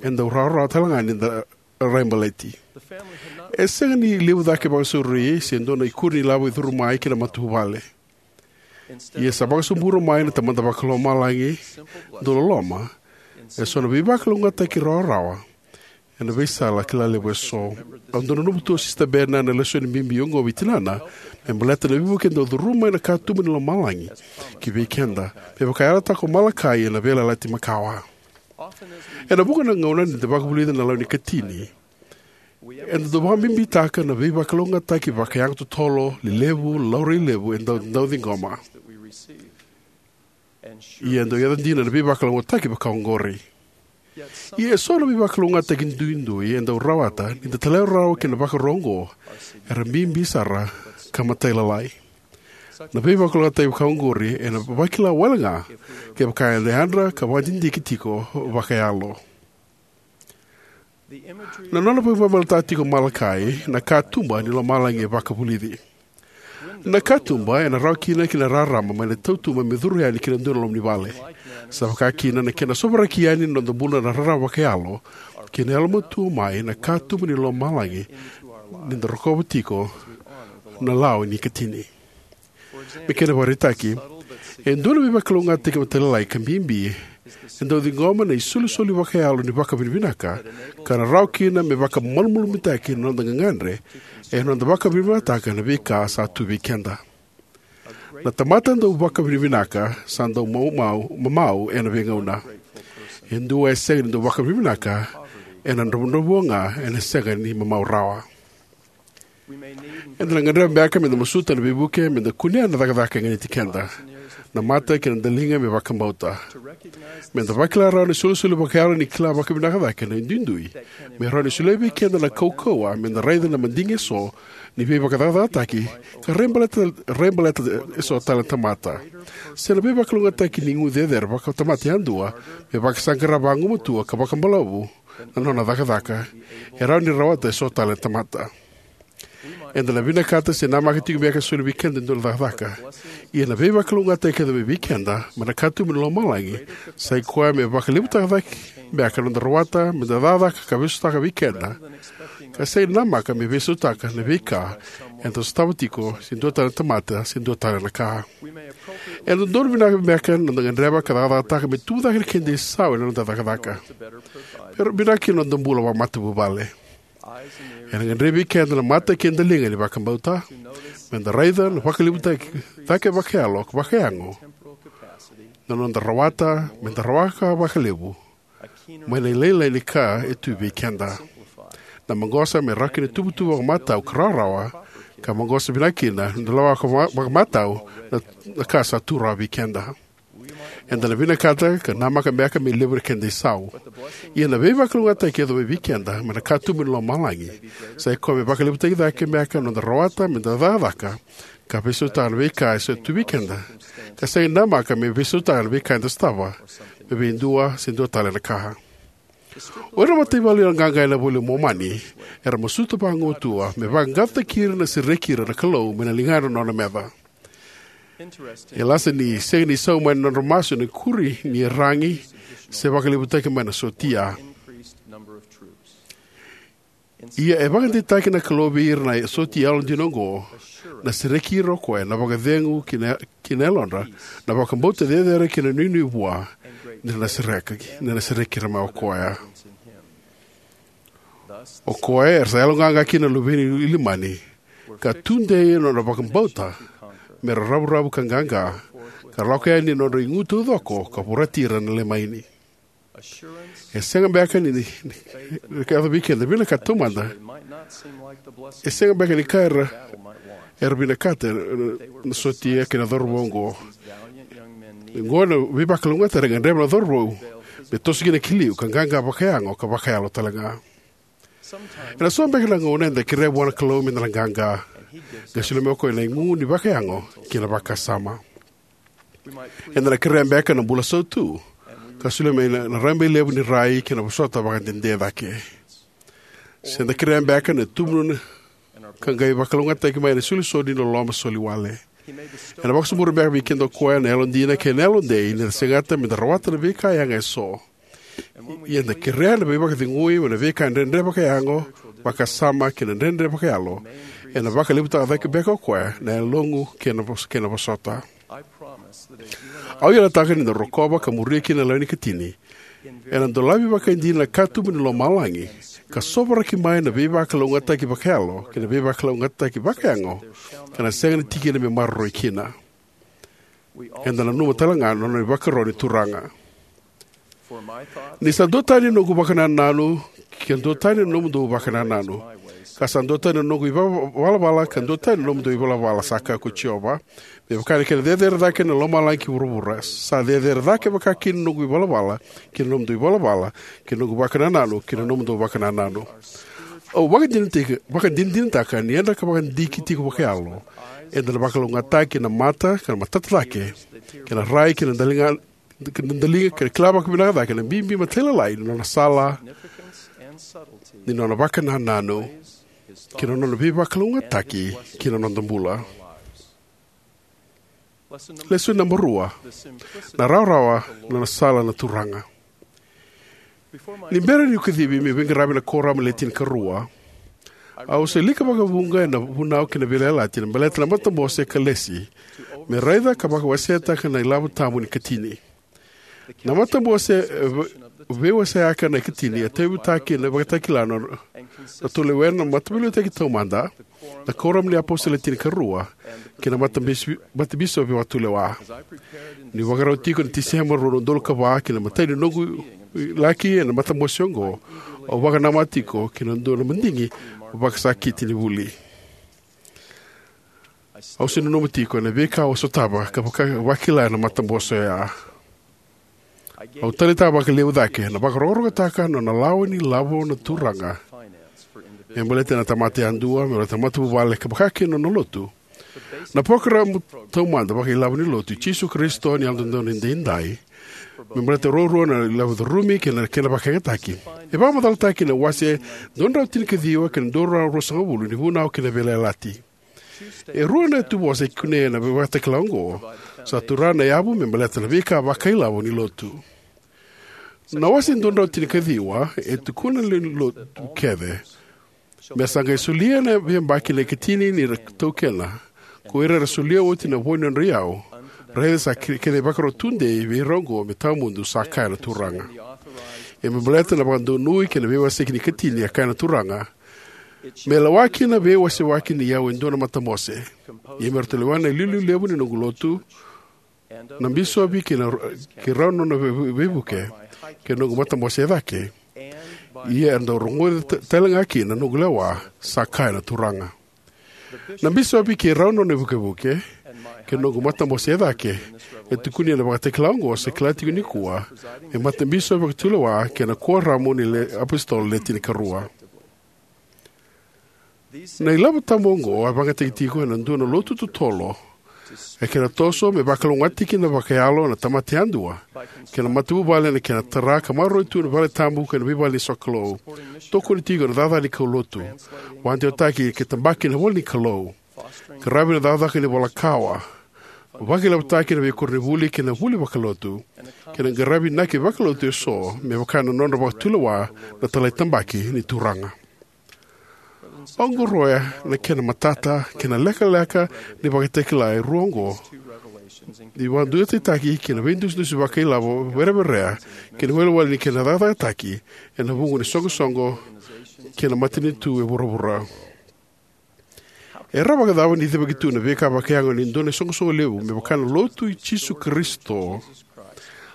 Eda rawarawa tale ga ni da raibaleti. E sega ni levu cake vakasauri se dua na ikuri ni lavo e curu mai ki na matavuvale. Ia sa vakasobura mai na Tamada Vakalomalagi dau loloma eso na veivakalougatataki rawarawa ena veisala kila levu eso. Au dau nanuma tu o Sisita Bednar na lesoni bibi oqo vei tinana me baleta na veivuke e dau curuma mai na katuba ni lomalagi ki vei keda, me vaka e yalataka ko Malakai ena Veiyalayalati Makawa. Ena vuqa na gauna ni da vakavulica na lawa ni ikatini, eda dau vakabibitaka na veivakalougatataki vakayago totolo, lelevu, laurai levu e dau, dau ciqoma. Ia e dau yaco dina na veivakalougatataki vaka oqori. Ia eso na veivakalougatataki duidui e dau rawata ni da talairawarawa ki na ivakarau oqo era bibi sara ka matailalai. Na veivakalougatataki vaka oqori ena vakila wale ga kevaka eda yadra ka vakadidike tiko vakayalo. Na nona vakamacalataka tiko o Malakai na katuba ni lomalagi e vakavulici. Na katuba ena rawa kina ki na rarama mai na tautuba me curu yani ki na dua na loma ni vale. Sa vaka kina na kena sovaraki yani na noda bula na rarama vakayalo kei na yalomatua mai na katuba ni lomalagi ni da rokova tiko na lawa ni ikatini. Me kena ivakaraitaki, e dua na veivakalougatataki matailalai ka bibi e dau ciqoma na isolisoli vakayalo ni vakavinavinaka, ka na rawa kina me vakamalumalumutaki na noda gagadre ena noda vakavinavinakataka na veika sa tu vei keda. Na tamata dau vakavinavinaka sa dau mamau, mamau ena veigauna. E dua e sega ni dau vakavinavinaka ena dravudravua ga ena sega ni mamau rawa. Eda na gadreva beka me da masuta na veivuke me da kunea na cakacaka e ganiti keda, na mata kei na daliga me vakabauta. Me da vakila rawa na isolisoli vakayalo ni kila vakavinaka cake na duidui me rawa ni solia vei keda na kaukauwa me da raica na madigi eso ni veivakacakacakataki ka raibaleta, raibaleta eso tale na tamata. Se na veivakalougatataki ni gu cecere vakatamata yadua me vakasaqara vagumatua ka vakabalavu na nona cakacaka, e rawa ni rawata eso tale na tamata. Eda na vinakata se namaka tiko beka e soli vei keda e dua na cakacaka. Ia na veivakalougatataki kece mai vei keda mai na katuba ni lomalagi sa i koya me vakalevutaka cake beka na noda rawata me da cakacaka ka veisautaka vei keda, ka sega ni namaka me veisautaka na veika eda sotava tiko se dua tale na tamata se dua tale na ka. E dodonu vinaka beka na noda gadreva ka cakacakataka me tubu cake na keda isau ena noda cakacaka. Pero vinaka kina na noda bula vakamatavuvale. Ena gadrevi keda na mata kei na daliga ni vakabauta me da raica na vakalevutaki cake vakayalo ka vakayago na noda rawata me da rawaka vakalevu mai na ilailai ni ka e tu vei keda. Na maqosa me rawa kina tuvatuva vakamatau ka rawarawa, ka maqosa vinaka kina na lawaka vaka-, vakamatau na, na ka sa tu rawa vei keda. Eda na vinakata ka namaka beka me levu na keda isau. Ia na veivakalougatataki e yaco mai vei keda mai na katuba ni lomalagi sa i koya me vakalevutaki cake beka na noda rawata me da cakacaka ka veisautaka na veika e sa tu vei keda, ka sega ni namaka me veisautaka na veika eda sotava me vei dua se dua tale na ka. O ira na mataivalu yaloqaqa ena iVola i Momani era masuta vagumatua me vaqaqacotaki ira na sereki ira na Kalou mai na ligana na nona meca. E lasa ni sega ni sau mai na nodra masu na ikuri ni iyaragi se vakalevutaki mai na sotia. Ia e vakadeitaka na Kalou vei ira na sotia yalodina oqo, na sereki ira o koya, na vakacegu ki na, ki na yalodra, na vakabauta cecere kei na nuinui vua, ni ra na sereki, ni ra na sereki ira mai o koya. O koya era sa yaloqaqa kina na luve ni Ilimani, ka tudei ena nodra vakabauta, me ra ravuravu ka qaqa, ka lako yani na nodra igu taucoko, ka vorati ira na lemaini. E sega beka ni, ni, ni, ni ka yaco vei keda, vinakata taumada. E sega beka ni ka era, era vinakata, era, na sotia kei na cauravou oqo. Oqo na veivakalougatataki era gadreva na cauravou, me toso kina ki liu, ka qaqa vakayago, ka vakayalo tale ga. Ena so beka na gauna eda kerea vua na Kalou me da na qaqa, ka solia mai o koya na igu ni vakayago kei na vakasama. Eda na kerea beka na bula sautu, ka solia mai na, na rabailevu ni rai kei na vosota vakadede cake. Se da kerea beka na tubu na, ka qai vakalougatataki mai na isolisoli ni loloma soli wale. Ena vakasobu beka vei keda o koya na yalodina kei na yalodei, ni da segata me da rawata na veika yaga eso. Ia eda kerea na veivakacegui mai na veika dredre vakayago, vakasama kei na dredre vakayalo. Ena vakalevutaka cake beka o koya na yaloqu kei na vos-, kei na vosota. Au yalataka ni da rokova ka muria kina na lewe ni ikatini, ena dolavi vakaidina na katuba ni lomalagi, ka sovaraki mai na veivakalougatataki vakayalo kei na veivakalougatataki vakayago, ka na sega ni tikina me maroroi kina. Eda nanuma tale ga na nona ivakaro ni Turaga. Ni sa duatani na noqu vakanananu, ka duatani na nomudou vakanananu. Ka sa duatani na noqu ivalavala, ka duatani na nomudou ivalavala, sa kaya ko Jiova. Me vaka na kena cecere cake na lomalagi ki vuravura, sa cecere cake vaka kina na noqu ivalavala ki na nomudou ivalavala, kei na noqu vakanananu ki na nomudou vakanananu. Au vakadinadinataka, vakadinadinataka ni eda ka vakadiki tiko vakayalo, eda na vakalougatataki na mata, ka na matata cake, kei na rai, kei na daliga, kei na daliga, kei na kila vakavinaka cake na bibi matailalai ni nona sala, ni nona vakanananu, kei na nona veivakalougatataki ki na noda bula. Lesoni naba rua. Na rawarawa na nona sala na Turaga. Ni bera niu kacivi meu veiqaravi ena kuoramu ni Le Tinikarua, au se wilika vakavuqa ena Vunau kei na Veiyalayalati na baleta na matabose ka lesi, me raica ka vakawasetaka na ilavo tabu ni ikatini. Na matabose, e, vei-, veiwaseaka na ikatini, e tauyavutaki ena ivakatakila na, na Ratou Lewena na Mataveiliutaki Taumada, na Kuoramu ni iApositolo Le Tinikarua, kei na matabis-, matabisopi vakatulewa. Niu vakarau tiko ena Tiseba rua na udolu ka va ki na imatai ni noqu laki ena matabose oqo, au vakanamata tiko ki na dua na madigi vakasakiti ni vuli. Au se nanuma tiko ena veika au a sotava ka vaka-, vakila ena matabose oya. Au taleitaka vakalevu cake na vakarokorokotaka na nona lawa ni lavo na Turaga me baleta na tamata yadua, me baleta na matavuvale, ka vaka kina na nona lotu. Na parokaramu taumada vakailavo ni Lotu i Jisu Karisito ni Yalododonu Edaidai, me baleta ruarua na ilavo curumi kei na kena vakayagataki, e vakamacalataki ena wase dua na drau tinikaciwa kei na dua na drau ruasagavulu ni Vunau kei na Veiyalayalati. E rua na ituvosa e kunei ena ivakatakila oqo. Sa tura na yavu me baleta na veika vakailavo ni lotu. Na wase dua na drau tinikaciwa e tukuna na lewe ni lotu kece: Me sa qai solia na veiyabaki na ikatini ni ra taukena, ko ira era solia oti na vo ni nodra iyau, raica sa ke-, kena ivakaro tudei vei ira oqo me tawamudu, sa kaya na Turaga. Ia me baleta na vakadonui kei na veiwaseki ni ikatini, a kaya na Turaga: Me lewa kina na veiwasewaki ni iyau e dua na matabose. Ia me ratou lewena na iliuliu levu ni noqu lotu, na bisopi kei na, kei rau na nona vei-, veivuke, kei na noqu matabose e cake. Ia era dau rogoca ta-, tale ga kina na noqu lewa, sa kaya na Turaga. Na bisopi kei rau na nona ivukevuke, kei na noqu matabose e cake, e tukuni ena ivakatakila oqo, sa kila tiko nikua me matabisopi vakatulewa kei na Kuoramu ni Le-, iApositolo Le Tinikarua. Na ilavo tabu oqo a vakayagataki tiko ena dua na lotu totolo, e kena toso me vakalougatataki kina vakayalo na tamata yadua kei na matavuvale ena kena tara ka maroroi tu na valetabu kei na veivale ni sokalou, tokoni tiko ena cakacaka ni kaulotu, vakadewataki kei tabaki na ivola ni Kalou, qaravi na cakacaka ni ivola kawa, Vakailavotaki na veikoronivuli kei na vuli vakalotu kei na qaravi inaki vakalotu eso me vaka na nodra vakatulewa na talaitabaki ni Turaga. Au qoroya na kena matata kei na lekaleka ni ivakatakila e rua oqo ni vakaduataitaki kei na veidusidusi vakailavo vereverea kei na iwalewale ni kena cakacakataki ena vuqa na isoqosoqo kei na matanitu e vuravura. E rawa vakacava ni cevaki tu na veika vakayago ni dua na isoqosoqo levu me vaka na Lotu i Jisu Karisito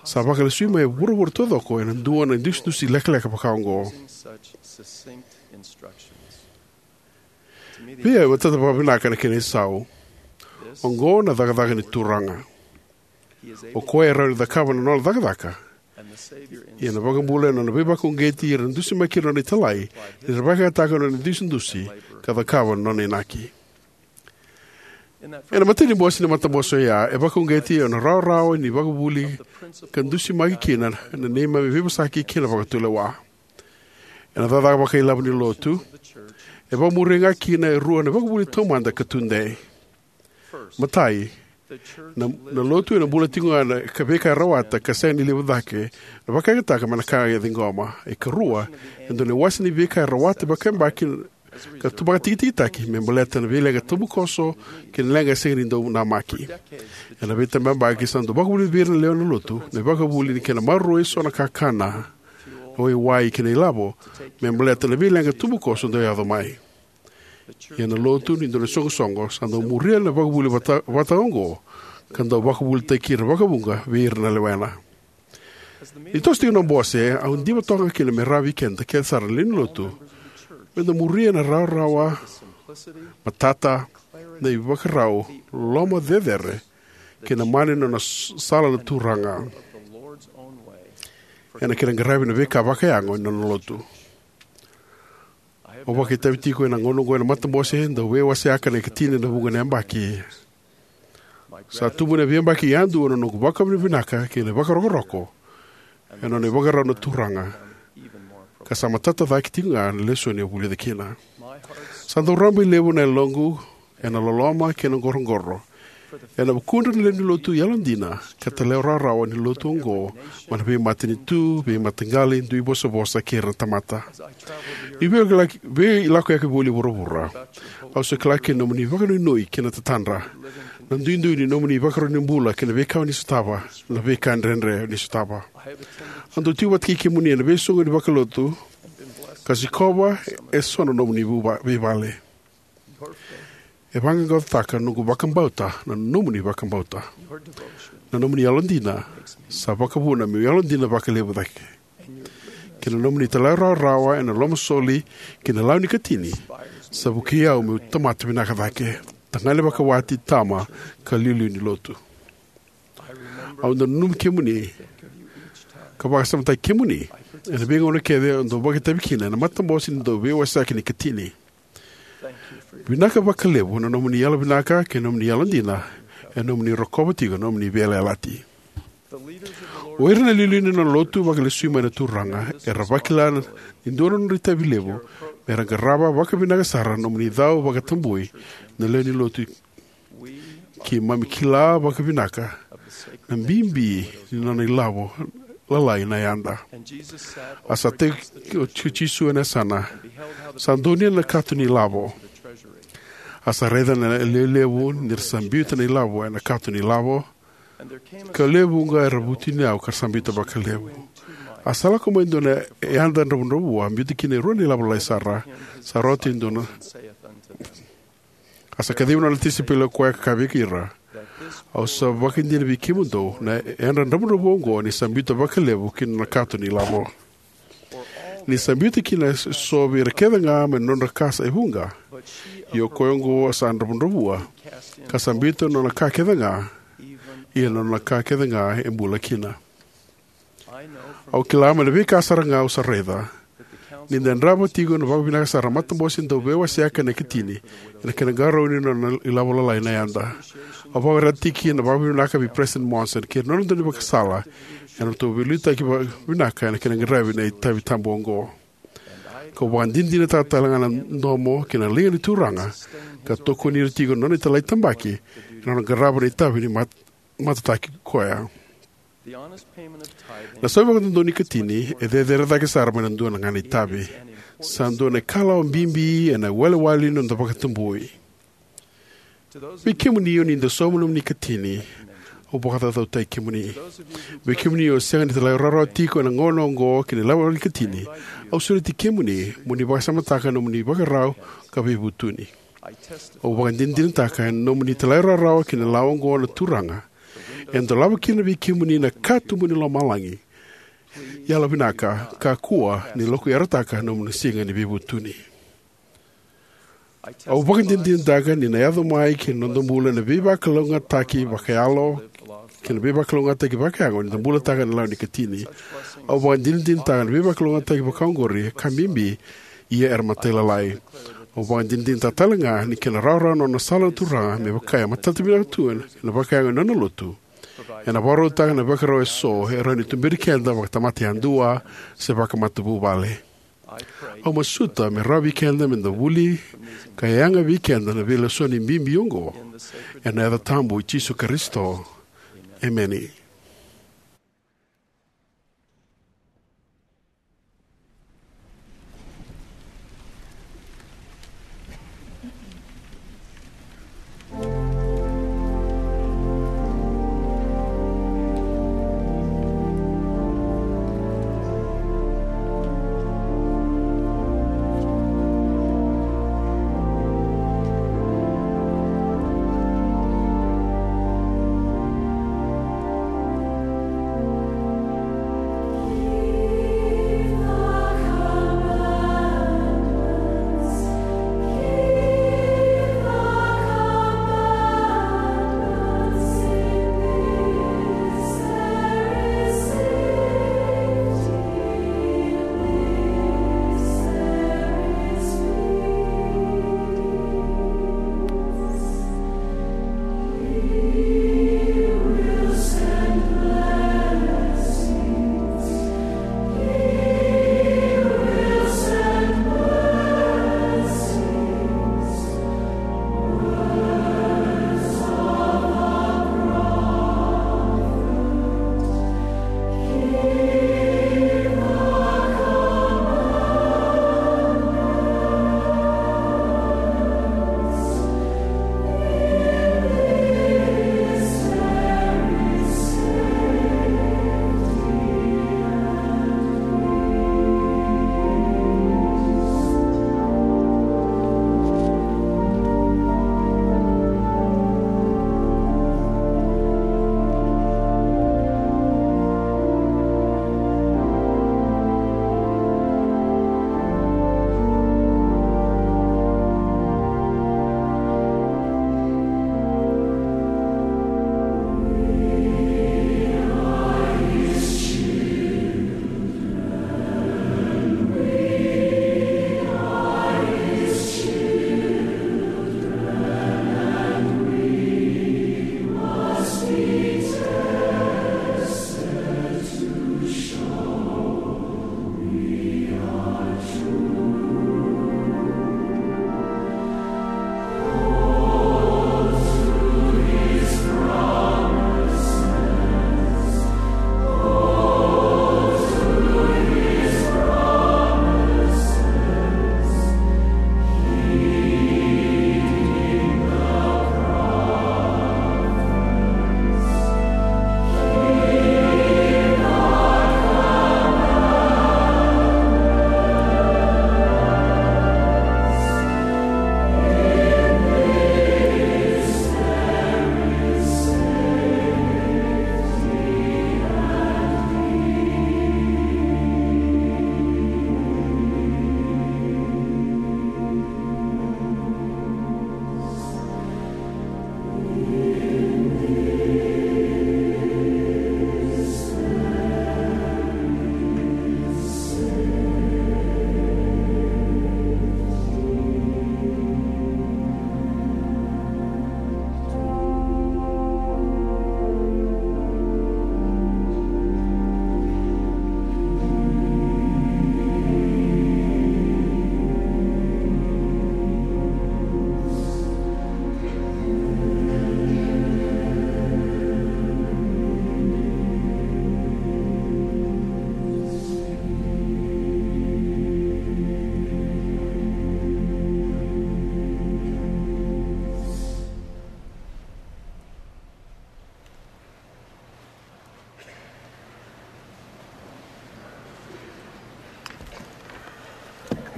sa vakalesui mai vuravura taucoko ena dua na idusidusi lekaleka vakaoqo? Vei au e matata vakavinaka na kena isau. Oqo na cakacaka ni Turaga. O koya e rawa ni cakava na nona cakacaka. Ia na iVakabula ena nona veivakauqeti ira na dusimaki ira na nona italai ni ra vakayagataka na nona idusidusi ka cakava na nona inaki. Ena imatai ni bose ni matabose oya e vakauqeti ena rawarawa ni vakavuli ka dusimaki kina na neimami veivosaki kei na vakatulewa. Ena cakacaka vakailavo ni Lotu e vakamuria ga kina e rua na ivakavuvuli taumada ka tudei. Matai, na, na Lotu ena bula tiko ga na veika e rawata ka sega ni levu cake na vakayagataka mai na ka e ciqoma. E karua, e dua na iwase ni veika e rawata vakayabaki ka tu vakatikitikitaki me baleta na veileqa tabukoso kei na leqa sega ni dau namaki. Ena veitabayabaki sa dau vakavuvuli vei ira na lewe ni Lotu na ivakavuvuli ni kena maroroi eso na kakana, na waiwai kei na ilavo me baleta na veileqa tabukoso dau yaco mai. Ia na Lotu ni dua na isoqosoqo sa dau muria na ivakavuvuli vata, vata oqo ka dau vakavuvulitaki ira vakavuqa vei ira na lewena. Ni toso tiko na bose, au diva toka kina me rawa vei keda kece sara na lewe ni Lotu me da muria na rawarawa, matata, na ivakarau, loloma cecere kei na mana ni nona sala na Turaga ena kena qaravi na veika vakayago ni nona Lotu. Au vakaitavi tiko ena gauna oqo ena matabose dau veiwaseaka na ikatini ena vuqa na yabaki. Sa tubu ena veiyabaki yadua na noqu vakavinavinaka kei na vakarokoroko ena nona ivakarau na Turaga, ka sa matata cake tiko ga na lesoni au vulica kina. Sa dau rabailevu na yaloqu ena loloma kei na qoroqoro ena vukudra na lewe ni Lotu yalodina ka talairawarawa ni Lotu oqo mai na veimatanitu, veimataqali, dui vosavosa kei ira na tamata. Ni veilakoyaki voli vuravura, au sa kila kina na nomuni vakanuinui kei na tatadra, na duidui ni nomuni ivakarau ni bula kei na veika o ni sotava, na veika dredre o ni sotava. Au dau tiko vata kei kemuni ena veisoqoni vakalotu ka sikova eso na nomuni veivale. E vaqaqacotaka noqu vakabauta na nomuni vakabauta. Na nomuni yalodina sa vakavuna meu yalodina vakalevu cake. Kei na nomuni talairawarawa ena lomasoli kei na lawa ni katini sa vukei au meu tamata vinaka cake, tagane vakawati, tama, ka iliuliu ni Lotu. Au dau nanumi kemuni ka vakasamataki kemuni ena veigauna kece au dau vakaitavi kina ena matabose ni dau veiwaseaki ni katini. Vinaka vakalevu na nomuni yalovinaka kei na nomuni yalodina ena nomuni rokova tiko na nomuni veiyalayalati. O ira na iliuliu ni nona Lotu vakalesui mai na Turaga era vakila ni dua na nodra itavi levu mera qarava vakavinaka sara na nomuni cau vakatabui na lewe ni Lotu. Keimami kila vakavinaka na bibi ni nona ilavo lalai na yada. A sa tei o Jisu ena yasana, sa donuya na kato ni ilavo. A sa raica na lewe levu ni ra sa biuta na ilavo ena kato ni ilavo, ka lewe vuqa era vutuniyau ka ra sa biuta vakalevu. A sa lako mai dua na yada dravudravua, biuta kina e rua na ilavo lalai sara, sa rauta e dua na A sa kacivi na nona tisaipeli o koya ka kaya vei ira, "Au sa vakaidina vei kemudou na yadra dravudravua oqo ni sa biuta vakalevu ki na nona kato ni lavo. Ni sa biuta kina eso vei ira kece ga mai na nodra ka sa e vuqa. Ia o koya oqo sa dravudravua, ka sa biuta na nona ka kece ga, ia na nona ka kece ga e bula kina." Au kila mai na veika sara ga au sa raica ni da yadrava tiko na vakavinaka sara na matabose dau veiwaseaka ena ikatini ena kena qarauni na nona ilavo lalai na yada. Au vakaraitaka tiko na vakavinaka vei President Monson kei ira na nona daunivakasala ena nodratou veiliutaki vakavinaka ena kena qaravi na itavi tabu oqo. Kau vakadinadinataka tale ga na domo kei na liga ni Turaga ka tokoni ira tiko na nona italai tabaki ena nona qarava na itavi ni mat-, matataki koya. Na saumi vakadodonu ni katini e cecere cake sara mai na dua ga na itavi. Sa dua na ikalawa bibi ena iwalewale ni noda vakatabui. Vei kemuni o ni dau sauma nomuni katini, au vakacaucautaki kemuni. Vei kemuni o sega ni talairawarawa tiko ena gauna oqo ki na ilavo ni katini, au sureti kemuni mo ni vakasamataka na nomuni ivakarau ka veivutuni. Au vakadinadinataka ena nomuni talairawarawa ki na lawa oqo na Turaga e dolava kina vei kemuni na katuba ni lomalagi. Yalovinaka, kakua ni lokuyarataka na nomuni siga ni veivutuni. Au vakadinadinataka ni na yaco mai ki na noda bula na veivakalougatataki vakayalo kei na veivakalougatataki vakayago ni da bulataka na lawa ni katini. Au vakadinadinataka na veivakalougatataki vakaoqori e ka bibi, ia era matailalai. Au vakadinadinataka tale ga ni kena rawarawa na nona sala na Turaga me vaka e matata vinaka tu ena vakayago ni nona lotu, ena vakarautaka na ivakarau eso e rawa ni tuberi keda vakatamata yadua se vakamatavuvale. Au masuta me rawa vei keda me da vuli ka yaga vei keda na veilesoni bibi oqo, ena yaca tabu i Jisu Karisito. Emeni.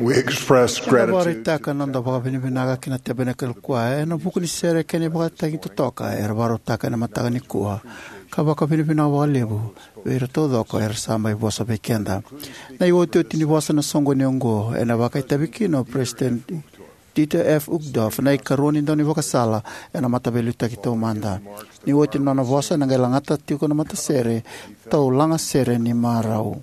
We express gratitude. Eda vakaraitaka na noda vakavinavinaka ki na Tabernacle Choir ena vuku ni sere kei na ivakatagi totoka era vakarautaka ena mataka nikua, ka vakavinavinaka vakalevu vei ira taucoko era sa mai vosa vei keda. Na iotioti ni vosa na soqoni oqo ena vakaitavi kina o President Dieter F. Uchtdorf, na ikarua ni daunivakasala ena Mataveiliutaki Taumada. Ni oti na nona vosa, ena qai lagata tiko na matasere, Tau Laga Sere ni Marau.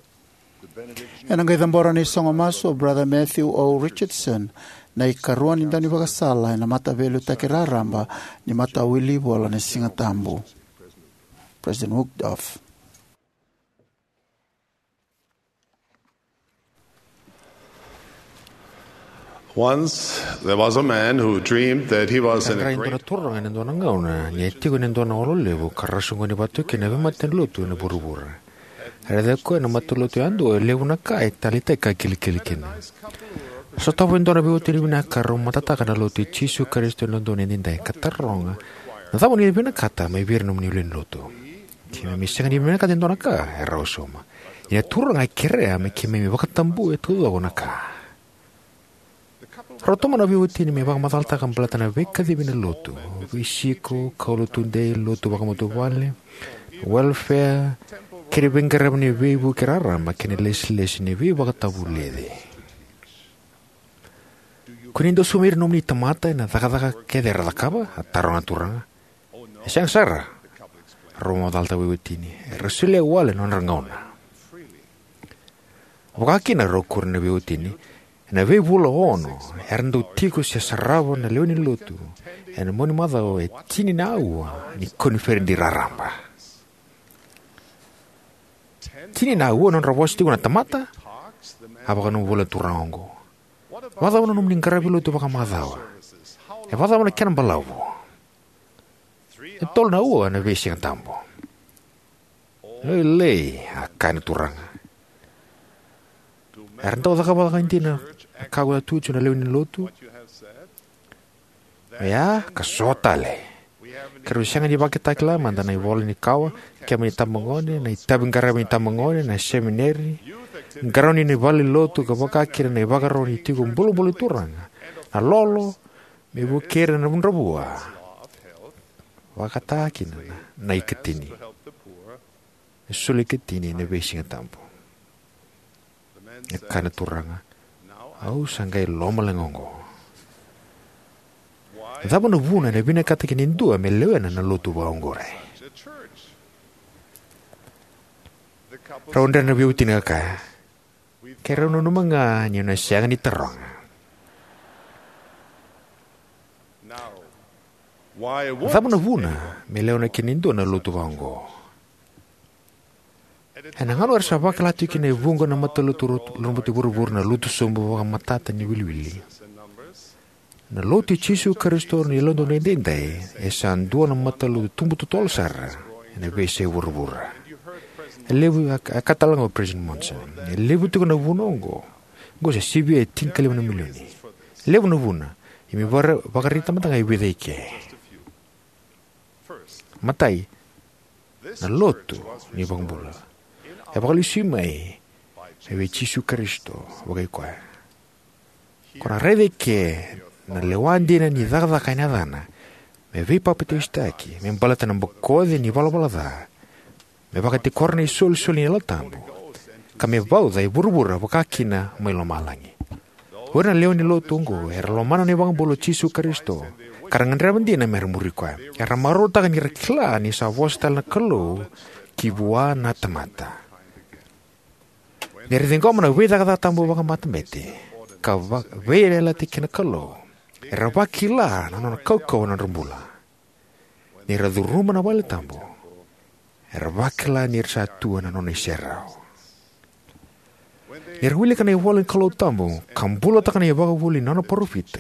Ena qai cabora na isogo masu o Brother Matthew O. Richardson, na ikarua ni daunivakasala ena Mataveiliutaki Raraba ni Matawilivola ni Sigatabu. President Uchtdorf. Once there was a man who dreamed that he was in a Qai dua na great turaga ena dua na gauna ni a tiko ena dua na olo levu ka ra soqoni vata kina na veimatanilotu ena vuravura. Raica koya na matalotu yadua, e levu na ka e taleitaki ka kilikili kina. Sotava e dua na veiwatini vinaka ka rau matataka na Lotu i Jisu Karisito ni Yalododonu Edaidai ka taroga, na cava o ni vinakata mai vei ira na nomuni lewe ni lotu? Keimami sega ni vinakata e dua na ka, e rau sauma. Ia na turaga e kerea me keimami vakatabua e taucoko na ka. Rau tomana na veiwatini me vakamacalataka baleta na veikacivi na lotu, veisiko, kaulo tudei, lotu vakamatavuvale, welfare, kei na veiqaravi ni veivuke raraba kei na lesilesi ni veivakatavulici. Ko ni dau sauma ira na nomuni tamata ena cakacaka kece era cakava? A taroga na turaga. E sega sara, rau vakamacalataka veiwatini. Era solia wale na nodra gauna. Vakakina, rau kuria na veiwatini, ena veivula ono era dau tiko se sarava na lewe ni lotu ena mauni macawa e tini na aua ni koniferedi raraba. Tini na aua na nodra vosa tiko na tamata? A vakanuinui voli na turaga oqo. Vakacava na nomuni qaravi lotu vakamacawa? E vakacava na kena balavu? E tolu na aua na veisigatabu. Lailai, a kaya na turaga. Era dau cakava vakaidina na ka ko a tutu na lewe ni lotu? Ia, ka so tale. Keirau sega ni vakatakila mada na ivola ni kawa, kema ni tabagone, na itavi qaravi ni tabagone, na semineri, qarauni ni vale ni lotu, ka vakakina na ivakarau ni tiko bulabula ni turaga, na lolo, me vukei ira na dravudravua. Vakataka kina na, na ikatini. E soli ikatini ena veisigatabu. E kaya na turaga, au sa qai lomaleqa oqo. Cava na vuna ena vinakata kina e dua me lewena na lotu vakaoqori? Rau dre na veiwatini ka kaya, keirau nanuma ga ni o na sega ni taroga. Cava na vuna me lewena kina e dua na lotu vakaoqo? Ena gauna era sa vakila tiko kina e vuqa na matalotu lomabete vuravura na lotu sobu vakamatata ni wiliwili, na Lotu i Jisu Karisito ni Yalododonu Edaidai e sa dua na matalotu tubu totolo sara ena veiyasai vuravura. E levu, a, a kaya tale ga o President Monson, e levu tiko na vuna oqo. Oqo sa sivia e tinikalima na milioni. E levu na vuna, ia me vaka, vakaraitaka mada ga e vica eke. Matai, na lotu ni iVakabula e vakalesui mai mai vei Jisu Karisito vakai koya. Ko na raica eke na lewa dina ni cakacaka ena yacana, me veipapitaisotaki, me baleta na bokoci ni valavala ca, me vakatikora na isolisoli ni Yalo Tabu, ka me vauca e vuravura vakakina mai lomalagi. O ira na lewe ni lotu oqo era lomana na iVakabula o Jisu Karisito, ka ra gadreva dina me ra muri koya. Era marautaka ni ra kila ni sa vosa tale na Kalou ki vua na tamata. Ni ra ciqoma na veicakacaka tabu vakamatabete ka va-, veiyalayalati kei na Kalou, era vakila na nona kaukauwa na nodra bula. Ni ra curuma na vale tabu, era vakila ni ra sa tu ena nona iserau. Ni ra wilika na ivola ni Kalou tabu ka bulataka na ivakavuvuli ni nona parofita,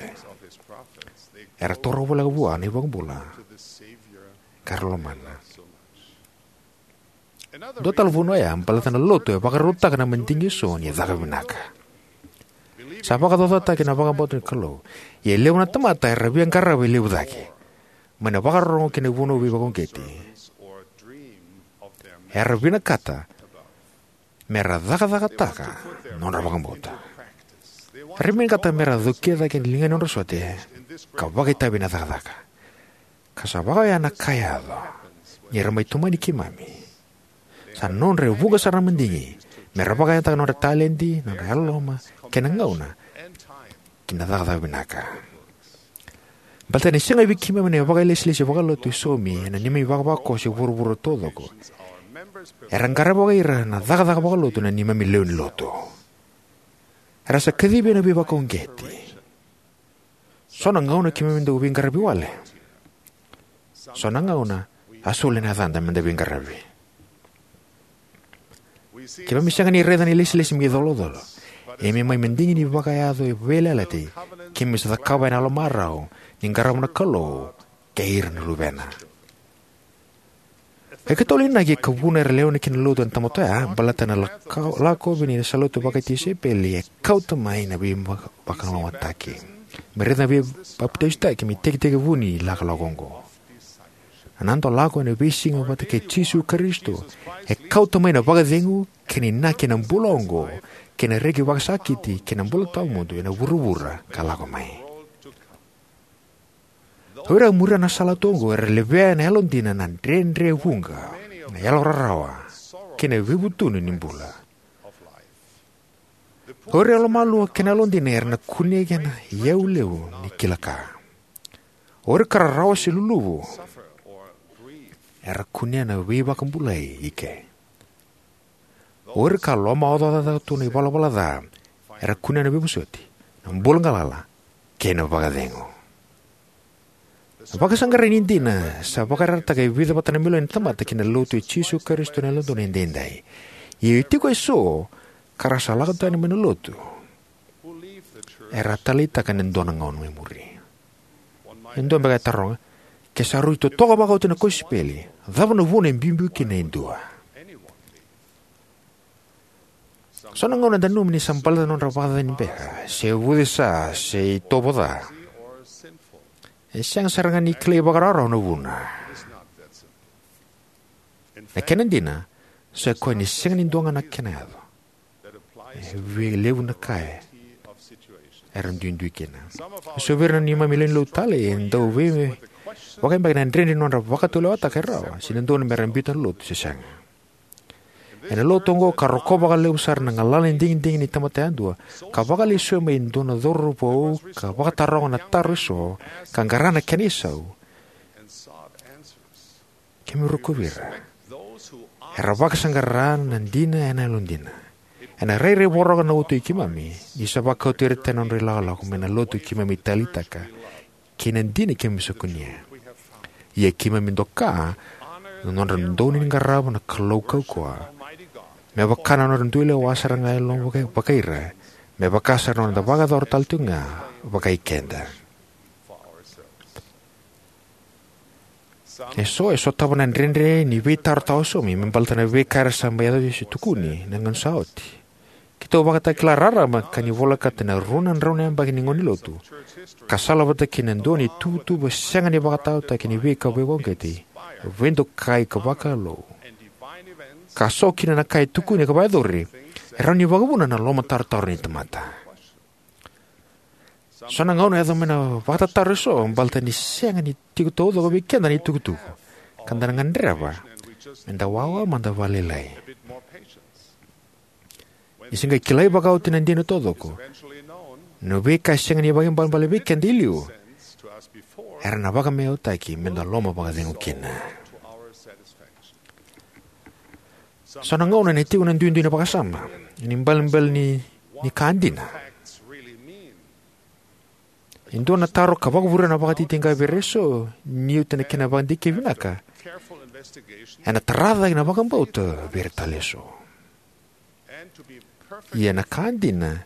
era taura voleka vua na iVakabula ka ra lomana. Dua tale vuna oya, baleta na lotu e vakarautaka na madigi eso ni caka vinaka. Sa vakacaucautaki na vakabauta ni Kalou, ia e levu na tamata era via qarava e levu cake. Mai na vakarorogo ki na ivunau veivakauqeti, era vinakata me ra cakacakataka na nodra vakabauta. Era vinakata me ra cokira cake na ligana ni nodra sote ka vakaitavi ena cakacaka. Ka sa vaka oya na ka e yaco. Ni ra mai tomani keimami, sa nodra e vuqa sara na madigi me ra vakayagataka na nodra taledi, na nodra yalololoma, kei na gauna ki na cakacaka vinaka. Baleta ni sega vei keimami na vakailesilesi vakalotu e saumi ena neimami ivakavakakoso e vuravura taucoko, era qaravi vakaira na cakacaka vakalotu na neimami lewe ni lotu. Era sa kacivi ena veivakauqeti. So na gauna keimami dau veiqaravi wale. So na gauna a soli na yacada me da veiqaravi. Keimami sega ni raica na ilesilesi me icolacola, ia me mai madigi ni vakayaco e veiyalayalati keimami sa cakava ena yalomarau ni qarava na Kalou kei ira na luvena. E keitou na inaki ka vuna era lewena ki na lotu na tamata oya, baleta na lako, lakovi ni sa lotu vakatisaipeli e kauta mai na veivakalougatataki. Me raica na veipapitaisotaki me itekitekivu ni lakolako oqo. Na noda lako ena veisiga vata kei Jisu Karisito e kauta mai na vakacegu kei na inaki ena bula oqo, kei na reki vakasakiti kei na bula tawamudu ena vuravura ka lako mai. O ira a muria na sala tu oqo era levea ena yalodina na dredre vuqa, na yalorarawa, kei na veivutuni ni bula. O ira yalomalua kei na yalodina era na kunea na iyau levu ni kila ka. O ira ka rarawa se luluvu era kunea na veivakabulai i ke. O ira ka lomaocaocataka tu na ivalavala ca era kunea na veivosoti, na bula galala, kei na vakacegu. Na vakasaqarai ni dina sa vakayarayarataka e vica vata na milioni na tamata ki na lotu i Jisu Karisito na Yalododonu Edaidai. Ia e tiko eso ka ra sa lako tani mai na lotu, era a taleitaka ena dua na gauna mai muri. E dua beka e taroga, ke sa rui totoka vakaoti na kosipeli, cava na vuna e biubiu kina e dua? So na gauna eda nanuma ni sa baleta na nodra vakacacani beka, se vucesa, se itovo ca. E sega sara ga ni kilai vakarawarawa na vuna. Na kena dina, sa koya ni sega ni dua ga na kena yaco. E vei levu na ka era duidui kina. So vei ira na neimami lewe ni lotu talei e dau vei vakayabaki na dredre ni nodra vakatulewataka e rawa se dodonu me ra biuta na lotu se sega. Ena lotu oqo ka rokova vakalevu sara na galala ni digidigi ni tamata yadua, ka vakalesuya mai e dua na cauravou ka vakataroga na taro eso ka qara na kena isau. Keimami rokovi ira era vakasaqara na dina ena yalodina. Ena rairai voroka na uto i keimami ni sa vakauti ira tani na nodra ilakolako mai na lotu keimami taleitaka kei na dina keimami sa kunea. Ia keimami doka na nodra dodonu ni qarava na Kalou kaukauwa, me vaka na nodra dui lewa sara ga e loma vaka, vaka ira, me vaka sara na noda vakayacora tale tiko ga vakai keda. Eso e sotava na dredre ni veitaro tawasaumi me baleta na veika era sa mai yaco se tukuni na gauna sa oti. Keitou vakatakila raraba ka ni volekata na rua na drau na yabaki ni gauna ni lotu, ka salavata kei na dua na ituvatuva sega ni vakataotaki ni veika veivakauqeti, veidokai ka vakalou, ka so kina na ka e tukuni ka vakayacori, e rawa ni vakavuna na lomatarotaro ni tamata. So na gauna e yaco mai na vakatataro eso baleta ni sega ni tiko taucoko vei keda na itukutuku, ka da na gadreva me da wawa mada vakalailai. Ni se qai kilai vakaoti na dina taucoko, na veika e sega ni vakaibalebale vei keda i liu era na vakamaiyautaki me da loma vakacegu kina. So na gauna ena tiko na duidui na vakasama ni ibalebale ni, ni ka dina. E dua na taro ka vakavurea na vakatitiqa vei ira eso ni oti na kena vakadikevi vinaka, ena tara cake na vakabauta vei ira tale eso. Ia na ka dina,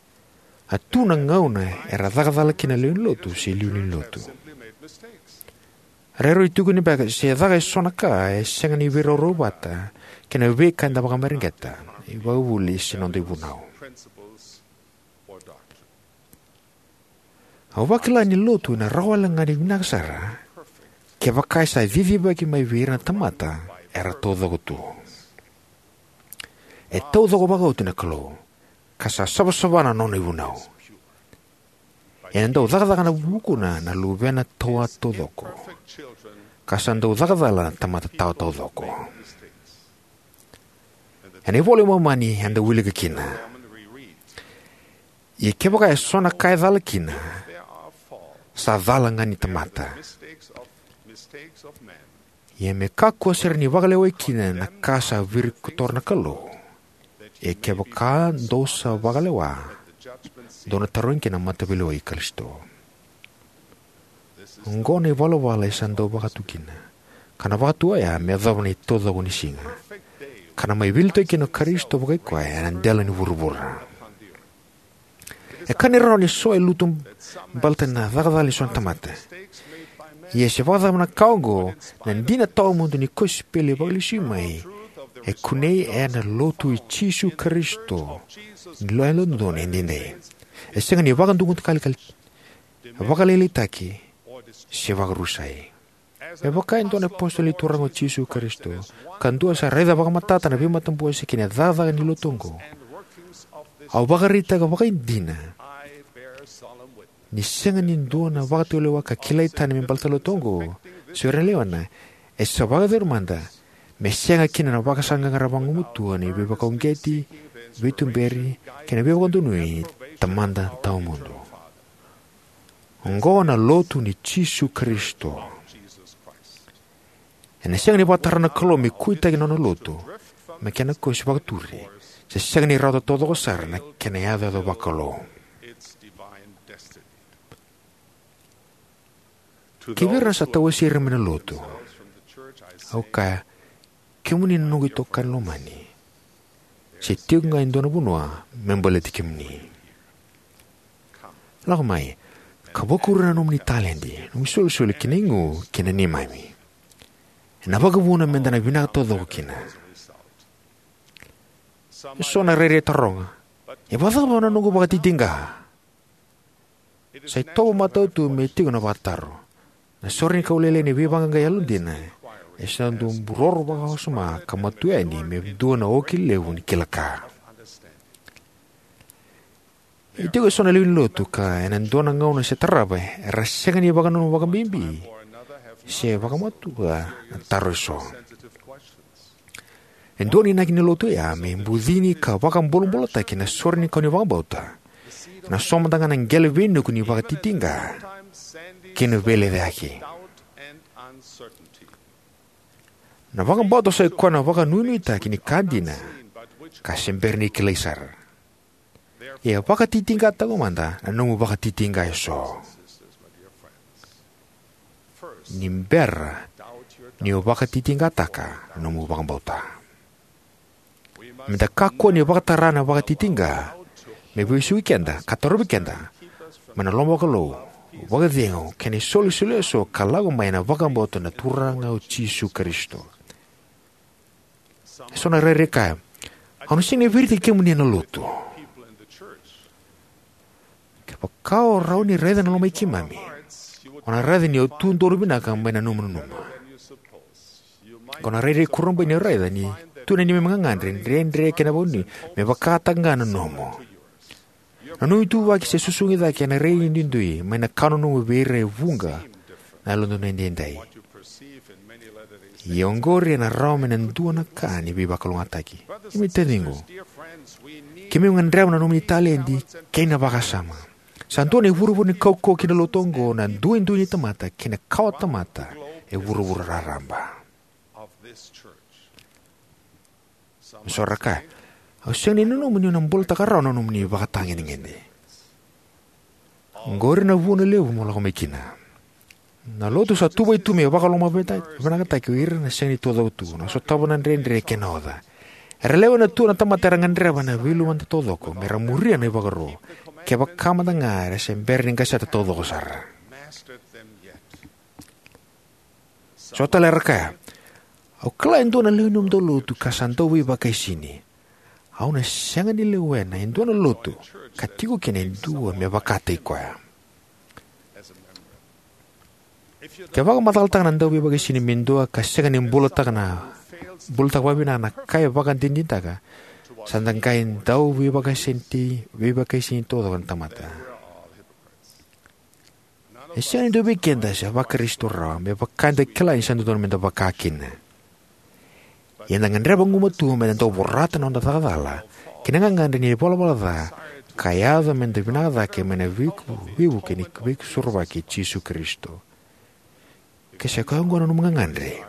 a tu na gauna era caka cala kina na lewe ni lotu se iliuliu ni lotu. Rairai tukuni beka se caka eso na ka e sega ni veiraurau vata kei na veika eda vakamareqeta, ivakavuvuli se noda ivunau. Au vakila ni lotu ena rawa wale ga ni vinaka sara kevaka e sa cicivaki mai vei ira na tamata era taucoko tu. E taucoko vakaoti na Kalou, ka sa savasava na nona ivunau. Ena dau cakacaka na vukuna na luvena tawa taucoko, ka sa dau cakacala na tamata tawa taucoko. Ena iVola i Momani eda wilika kina: Ia kevaka e so na ka e cala kina, sa cala ga ni tamata. Ia me kakua sara ni vakalewai kina na ka sa virikotora na Kalou. Ia kevaka dou sa vakalewa, dou na tarogi kina na mataveilewai i Karisito. Oqo na ivalavala e sa dau vakatu kina, ka na vakatu oya me yacova na itaucoko ni siga, ka na mai veiliutaki kina o Karisito vakai koya ena dela ni vuravura. E ka ni rawa ni so e lutu baleta na cakacala ni so na tamata. Ia se vakacava na ka oqo, na dina tawamudu ni kosipeli vakalesui mai e kunei ena Lotu i Jisu Karisito ni Yalododonu Edaidai. E sega ni vakadukadukalikali, vakalailaitaki, se vakarusai. Me vaka e dua na iApositolo ni Turaga o Jisu Karisito, ka dua sa raica vakamatata na veimatabose kei na cakacaka ni Lotu oqo, au vakaraitaka vakaidina ni sega ni dua na vakatulewa ka kilai tani me baleta na Lotu oqo se o ira na lewena, e sa vakayacori mada, me sega kina na vakasaqaqara vagumatua ni veivakauqeti, veituberi, kei na veivakadonui ni Tamada Tawamudu. Oqo na Lotu i Jisu Karisito. Ena sega ni vakatara na Kalou me kuitaki na nona Lotu me kena kosi vakaturi, se sega ni rawata taucoko sara na kena iyacoyaco vakalou. Kivei ira na sa tawasei ira mai na Lotu, au kaya, kemuni na noqu itokani lomani, se tiko ga e dua na vanua me baleti kemuni. Lako mai, ka vakuri na nomuni taledi, nomuni isolisoli kei na igu ki na neimami, ena vakavuna me da na vinaka taucoko kina. E so na rairai taroga, e vakacava na noqu vakatitiqa? Sa itovo matau tu me tiko na vakataro. Na sorenikau lailai ni veivaqaqai yalodina e sa dau buroro vakawasoma ka matua yani me dua na oki levu ni kila ka. E tiko e so na lewe ni Lotu ka ena dua na gauna se tarava era sega ni vakananuma vakabibi se vakamatua na taro e so. E dua na inaki ni Lotu oya me bucini ka vakabulabulataki na sorenikau ni vakabauta, na so mada ga na qele veinuku ni vakatitiqa kei na veilecayaki. Na vakabauta sa i koya na vakanuinuitaki ni ka dina ka se bera ni kilai sara. Ia vakatitiqataka mada na nomu vakatitiqa e so ni bera ni o vakatitiqataka na nomu vakabauta. Me da kakua ni vakatara na vakatitiqa me vesuki keda ka tarovi keda mai na loma vakalou, vakacegu, kei na isolisoli e so ka lako mai na vakabauta na Turaga o Jisu Karisito. E so na rairai kaya, au na sega ni veiraitaki kemuni ena Lotu. Kevaka o rawa ni raica na loma i keimami, o na raica ni o tu donu vinaka mai na nomu nanuma. Ko na rairai kurabui ni o raica ni tu na neimami gagadre, dredre kei na vakananumi me vakataka ga na nomu. Na nomu ituvaki se susugi cake ena rai ni duidui mai na ka o nanuma vei ira e vuqa na Yalododonu Edaidai. Ia oqori ena rawa mai na dua na ka ni veivakalougatataki. Keimami taciqu, keimami gadreva na nomuni taledi kei na vakasama. Sa dua na ivurevure ni kaukauwa ki na Lotu oqo na duidui ni tamata kei na kawatamata e vuravura raraba. So ra kaya, au sega ni nanuma niu na bulataka rawa na nomuni vakatagedegede. Oqori na vuna levu mo lako mai kina. Na Lotu sa tuvai tu me vakalomavinakataki o ira na sega ni taucoko tu, na sotava na dredre kei na oca. Era lewena tu na tamata era gadreva na veiluvada taucoko me ra muria na ivakaro, kevaka mada ga era se bera ni qaseta taucoko sara. So tale era kaya, au kila e dua na lewe ni nomudou lotu ka sa dau veivakaisini. Au na sega ni lewena e dua na lotu ka tiko kina e dua me vakataki koya. Ke vakamacalataka na dau veivakaisini me dua ka sega ni bulataka na bulataka vakavinaka na ka e vakadinadinataka, sa da qai dau veivakaisini, veivakaisini taucoko na tamata. E sega ni dua vei keda sa vaKarisito rawa me vaka eda kila ni sa dodonu meda vaka kina. Ia eda gadreva gumatua meda dau vorata na noda caka cala kei na gagadre ni ivalavala ca ka yaco meda vinaka cake mai na veiku- veivuke ni veivakasusuravaki i Jisu Karisito. Ke sa koya oqo na nomu gagadre,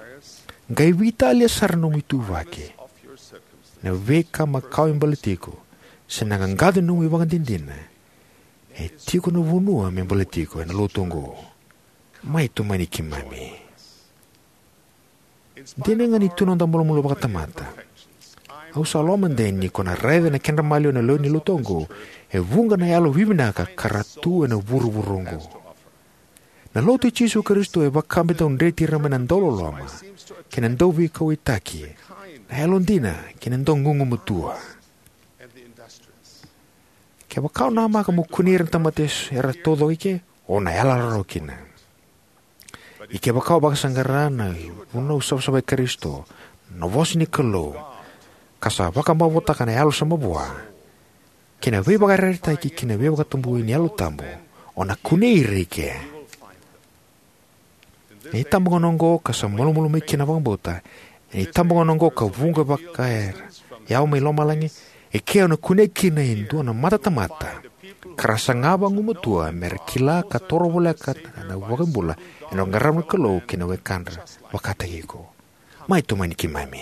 qai veitalia sara na nomu ituvaki, na veika makawa e baleti iko, se na qaqaco ni nomu ivakadinadina. E tiko na vanua me baleti iko ena lotu oqo. Mai tomani keimami. Dina ga ni tu na noda malumalumu vakatamata, au sa lomani ni ko na raica na kedra maliwa na lewe ni lotu oqo e vuqa na yalo vivinaka ka ra tu ena vuravura oqo. Na lotu i Jisu Karisito e vaka me dau dreti ira mai na dauloloma kei na dauveikauwaitaki, na yalodina kei na daugugumatua. Kevaka o namaka mo kunei ira na tamata eso era taucoko eke, o na yalayala rawa kina. Ia kevaka o vakasaqara na vunau savasava i Karisito, na vosa ni Kalou, ka sa vakamavoataka na yalo sa mavoa, kei na veivakayarayarataki kei na veivakatabui ni Yalo Tabu, o na kunei ira eke. Na itabagauna oqo ka sa malumalumu mai kina na vakabauta, na itabagauna oqo ka vuqa vakayawa mai lomalagi, eke o na kunei kina e dua na matatamata ka ra saga vagumatua me ra kila ka toro voleka na iVakabula ena qarava na Kalou kei na wekadra vakataki iko. Mai tomani keimami.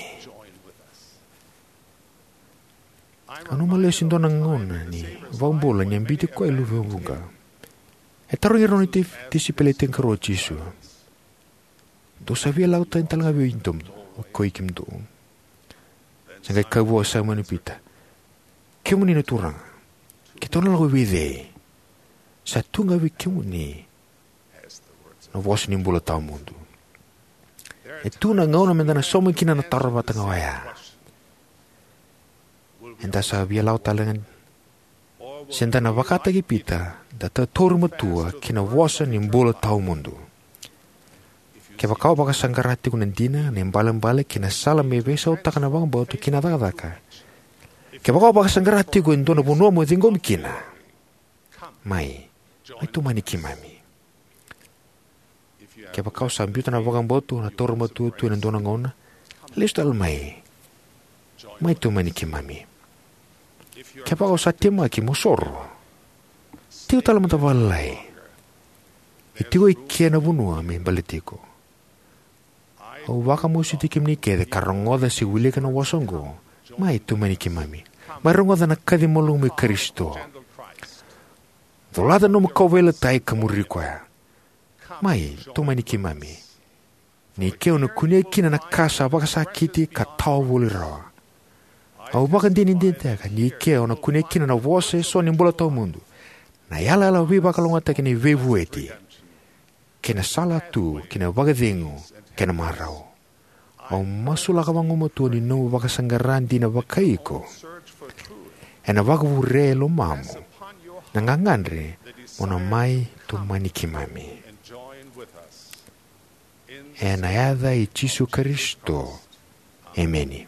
Au nanuma lesu e dua na gauna ni iVakabula ni a biuti koya e luve vuqa. E tarogi ira na nona ti- tisaipeli e tinikarua o Jisu: "Dou sa via lako tani tale ga vei kemudou, o koi kemudou?" Sa qai kaya vua o Saimoni Pita: "Kemuni na Turaga, keitou na lako vei cei? Sa tu ga vei kemuni na vosa ni bula tawamudu." E tu na gauna meda na sauma kina na taro vata ga oya. Eda sa via lako tale ga, se da na vakataki Pita, da tauri matua ki na vosa ni bula tawamudu. Kevaka o vakasaqara tiko na dina, na ibalebale kei na sala me veisautaka na vakabauta kei na cakacaka, kevaka o vakasaqara tiko e dua na vanua mo ciqomi kina, mai, mai tomani keimami. Kevaka o sa biuta na vakabauta, na tauri matua tu ena dua na gauna, lesu tale mai, mai tomani keimami. Kevaka o sa temaki mo soro, tiko tale mada vakalailai. E tiko eke na vanua me baleti iko. Au vakamasuti kemuni kece ka rogoca se wilika na vosa oqo, mai tomani keimami. Mai rogoca na kaci malumu i Karisito. Colata na nomu kauveilatai ka muri koya. Mai tomani keimami. Ni ke o na kunea kina na ka sa vakasakiti ka tawa voli rawa. Au vakadinadinataka ni ke o na kunea kina na vosa eso ni bula tawamudu, na yalayala veivakalougatataki ni veivueti, kei na sala tu ki na vakacegu kei na marau. Au masulaka vagumatua ni nomu vakasaqara dina vakai iko ena vakavure e lomamu na gagadre mo na mai tomani keimami. Ena yaca i Jisu Karisito, emeni.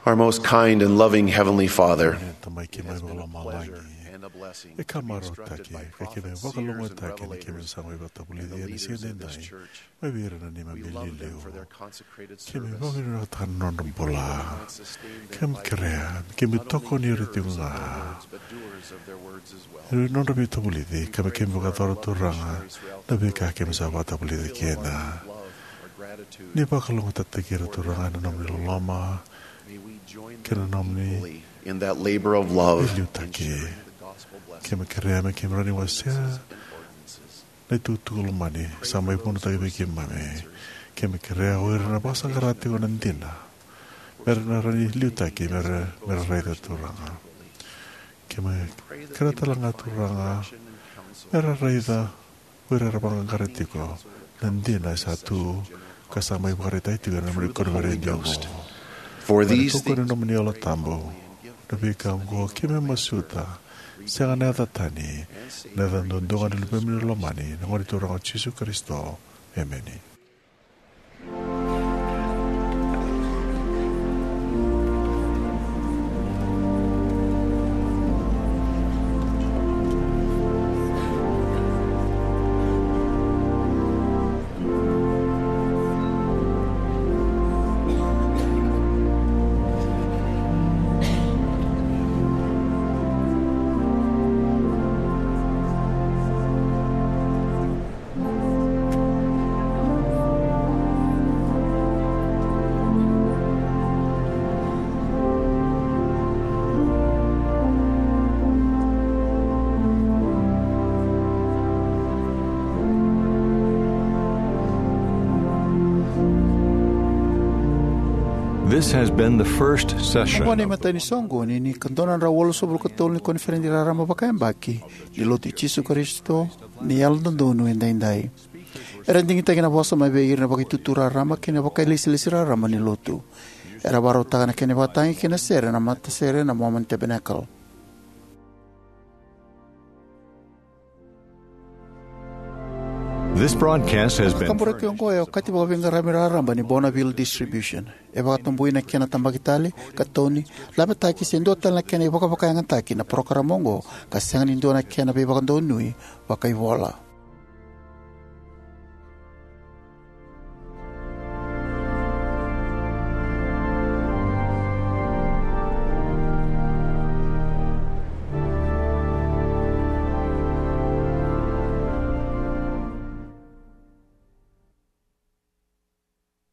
Our most kind and loving Heavenly Father, Tamai keimami vakalomalagi, e ka marautaki ka keimami vakalougatataki ni keimami sa mai vakavulici ena siga edaidai mai vei ira na neimami iliuliu. Keimami vakavinavinakataka na nodra bula. Keimami kerea me keimami tokoni ira tiko ga ena nodra veivakavulici, ka me keimami vakayacora, Turaga, na veika keimami sa vakavulici kina. Ni vakalougatataki ira, Turaga, ena nomuni loloma kei na nomuni veiliutaki. Keimami kerea me keimami rawa ni wasea na itukutuku lomani sa mai vunitaki vei keimami. Keimami kerea o ira na vakasaqara tiko na dina me ra na rawa ni liutaki me ra, me ra raica, Turaga. Keimami kerea tale ga, Turaga, me ra raica o ira era vaqaqara tiko na dina e sa tu ka sa mai vakaraitaki tiko ena nomuni koniferedi oqo. For these things, na nomuni Yalo Tabu, na veika oqo keimami masuta, sega na yaca tani, na yaca duadua ga ni Luvemuni lomani, na Gone Turaga o Jisu Karisito. Emeni. This has been the first session. Oqo na imatai ni soqoni ni ka dua na drau walusagavulu ka tolu ni koniferedi raraba vakayabaki ni Lotu i Jisu Karisito ni Yalododonu Edaidai. Era digitaki na vosa mai vei ira na vakaitutu raraba kei na vakailesilesi raraba ni Lotu. Era vakarautaka na kena ivakatagi kei na sere na matasere na Mormon Tabernacle. This broadcast has been Kaburaki oqo e okati vakaveiqaravi raraba ni Bonneville Distribution. E vakatabui na kena tabaki tale, katoni, lavetaki se dua tale na kena ivakavakayagataki na parokaramu oqo ka sega ni dua na kena veivakadonui vakaivola.